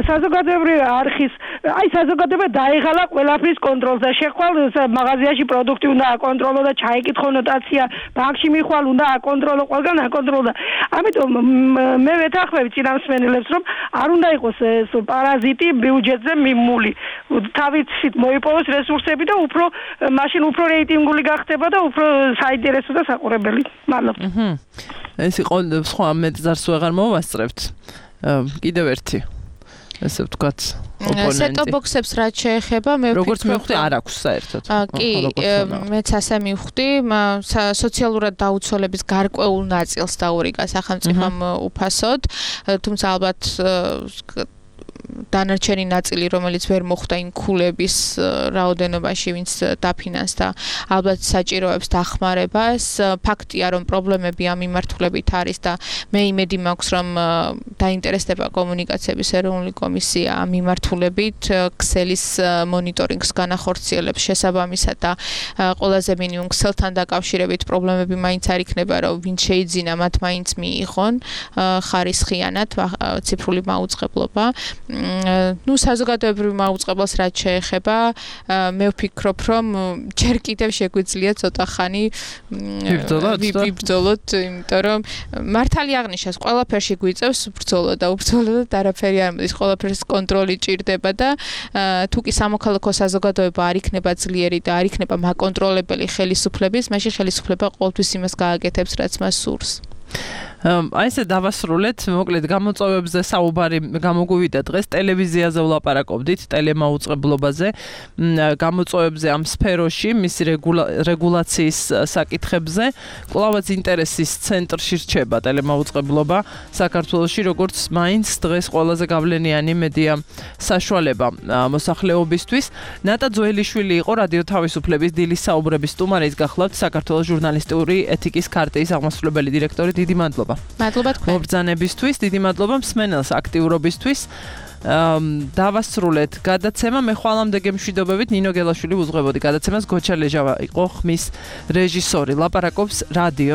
საზოგადოებრივი არხის აი საზოგადოება დაეღალა ყველაფრის კონტროლს და შეხვალ მაღაზიაში პროდუქტი უნდა აკონტროლო და ჩაიკითხო ნოტაცია, ბანკში მიხვალ უნდა აკონტროლო, ყველგან აკონტროლო და ამიტომ მე ვეთანხმები წინამსმენელებს, რომ არ უნდა იყოს პარაზიტი ბიუჯეტზე მიმული. თავით მოიპოვოს რესურსები და უფრო მაშინ უფრო რეიტინგული გახდება და უფრო საინტერესო და საყურებელი. მადლობა. აჰა. ეს იყო სხვა მეტზარს ვეღარ მოვასწრებთ. კიდევ ერთი. ესე ვთქვათ, ოპონენტი. სეტ-ბოქსებს რაც შეეხება, მე ვფიქრობ, როგორც მივხვდი, არ აქვს საერთოდ. კი, მეც ასე მივხვდი, სოციალურად დაუცველების გარკვეულ ნაწილს დაურიგა სახელმწიფომ უფასოდ, თუმცა ალბათ დანარჩენი ნაწილი, რომელიც ვერ მოხვდა იმ ქულების რაოდენობაში, ვინც დაფინანსდა, ალბათ საჭიროებს დახმარებას. ფაქტია, რომ პრობლემები ამ მიმართულებით არის და მე იმედი მაქვს, რომ დაინტერესდება კომუნიკაციების ეროვნული კომისია ამ მიმართულებით, ქსელის მონიტორინგს განახორციელებს შესაბამისად და ყველაზე მინიმუმ ქსელთან დაკავშირებით პრობლემები მაინც არ იქნება, რომ ვინც შეიძინა, მათ მაინც მიიღონ ხარისხიანად ციფრული მაუწყებლობა. ნუ საზოგადოებრივ მაუწყებლობას რაც შეეხება, მე ვფიქრობ, რომ ჯერ კიდევ შეგვიძლია ცოტა ხანი ვიბრძოლოთ, იმიტომ რომ მართალი აღნიშნავს, ყველაფერში გვიწევს ბრძოლა და უბრძოლოთ არაფერი არ მოდის, ყველაფერს კონტროლი ჭირდება და თუ კი სამოქალაქო საზოგადოება არ იქნება ძლიერი და არ იქნება მაკონტროლებელი ხელისუფლების, მაშინ ხელისუფლება ყოველთვის იმას გააკეთებს, რაც მას სურს. აი ესე დავასრულეთ, მოკლედ გამოწვევებზე საუბარი გამოგვივიდა დღეს, ტელევიზიაზე ვლაპარაკობდით, ტელემაუწყებლობაზე, გამოწვევებზე ამ სფეროში, მისი რეგულაციის საკითხებზე, კვლავაც ინტერესის ცენტრში რჩება ტელემაუწყებლობა საქართველოში, როგორც მაინც დღეს ყველაზე გავლენიანი მედია საშუალება მოსახლეობისთვის. ნატა ძველიშვილი იყო რადიო თავისუფლების დილის საუბრების სტუმარი, ის გახლავთ საქართველოს ჟურნალისტური ეთიკის ქარტიის აღმასრულებელი დირექტორი. დიდი მადლობა. მადლობა თქვენ. მობრძანებისთვის, დიდი მადლობა მსმენელს აქტიურობისთვის. დავასრულეთ გადაცემა, მე ხვალამდე გემშვიდობებით, ნინო გელაშვილი უძღვებოდი გადაცემას, გოჩა ლეჟავა იყო ხმის რეჟისორი. ლაპარაკობს რადიო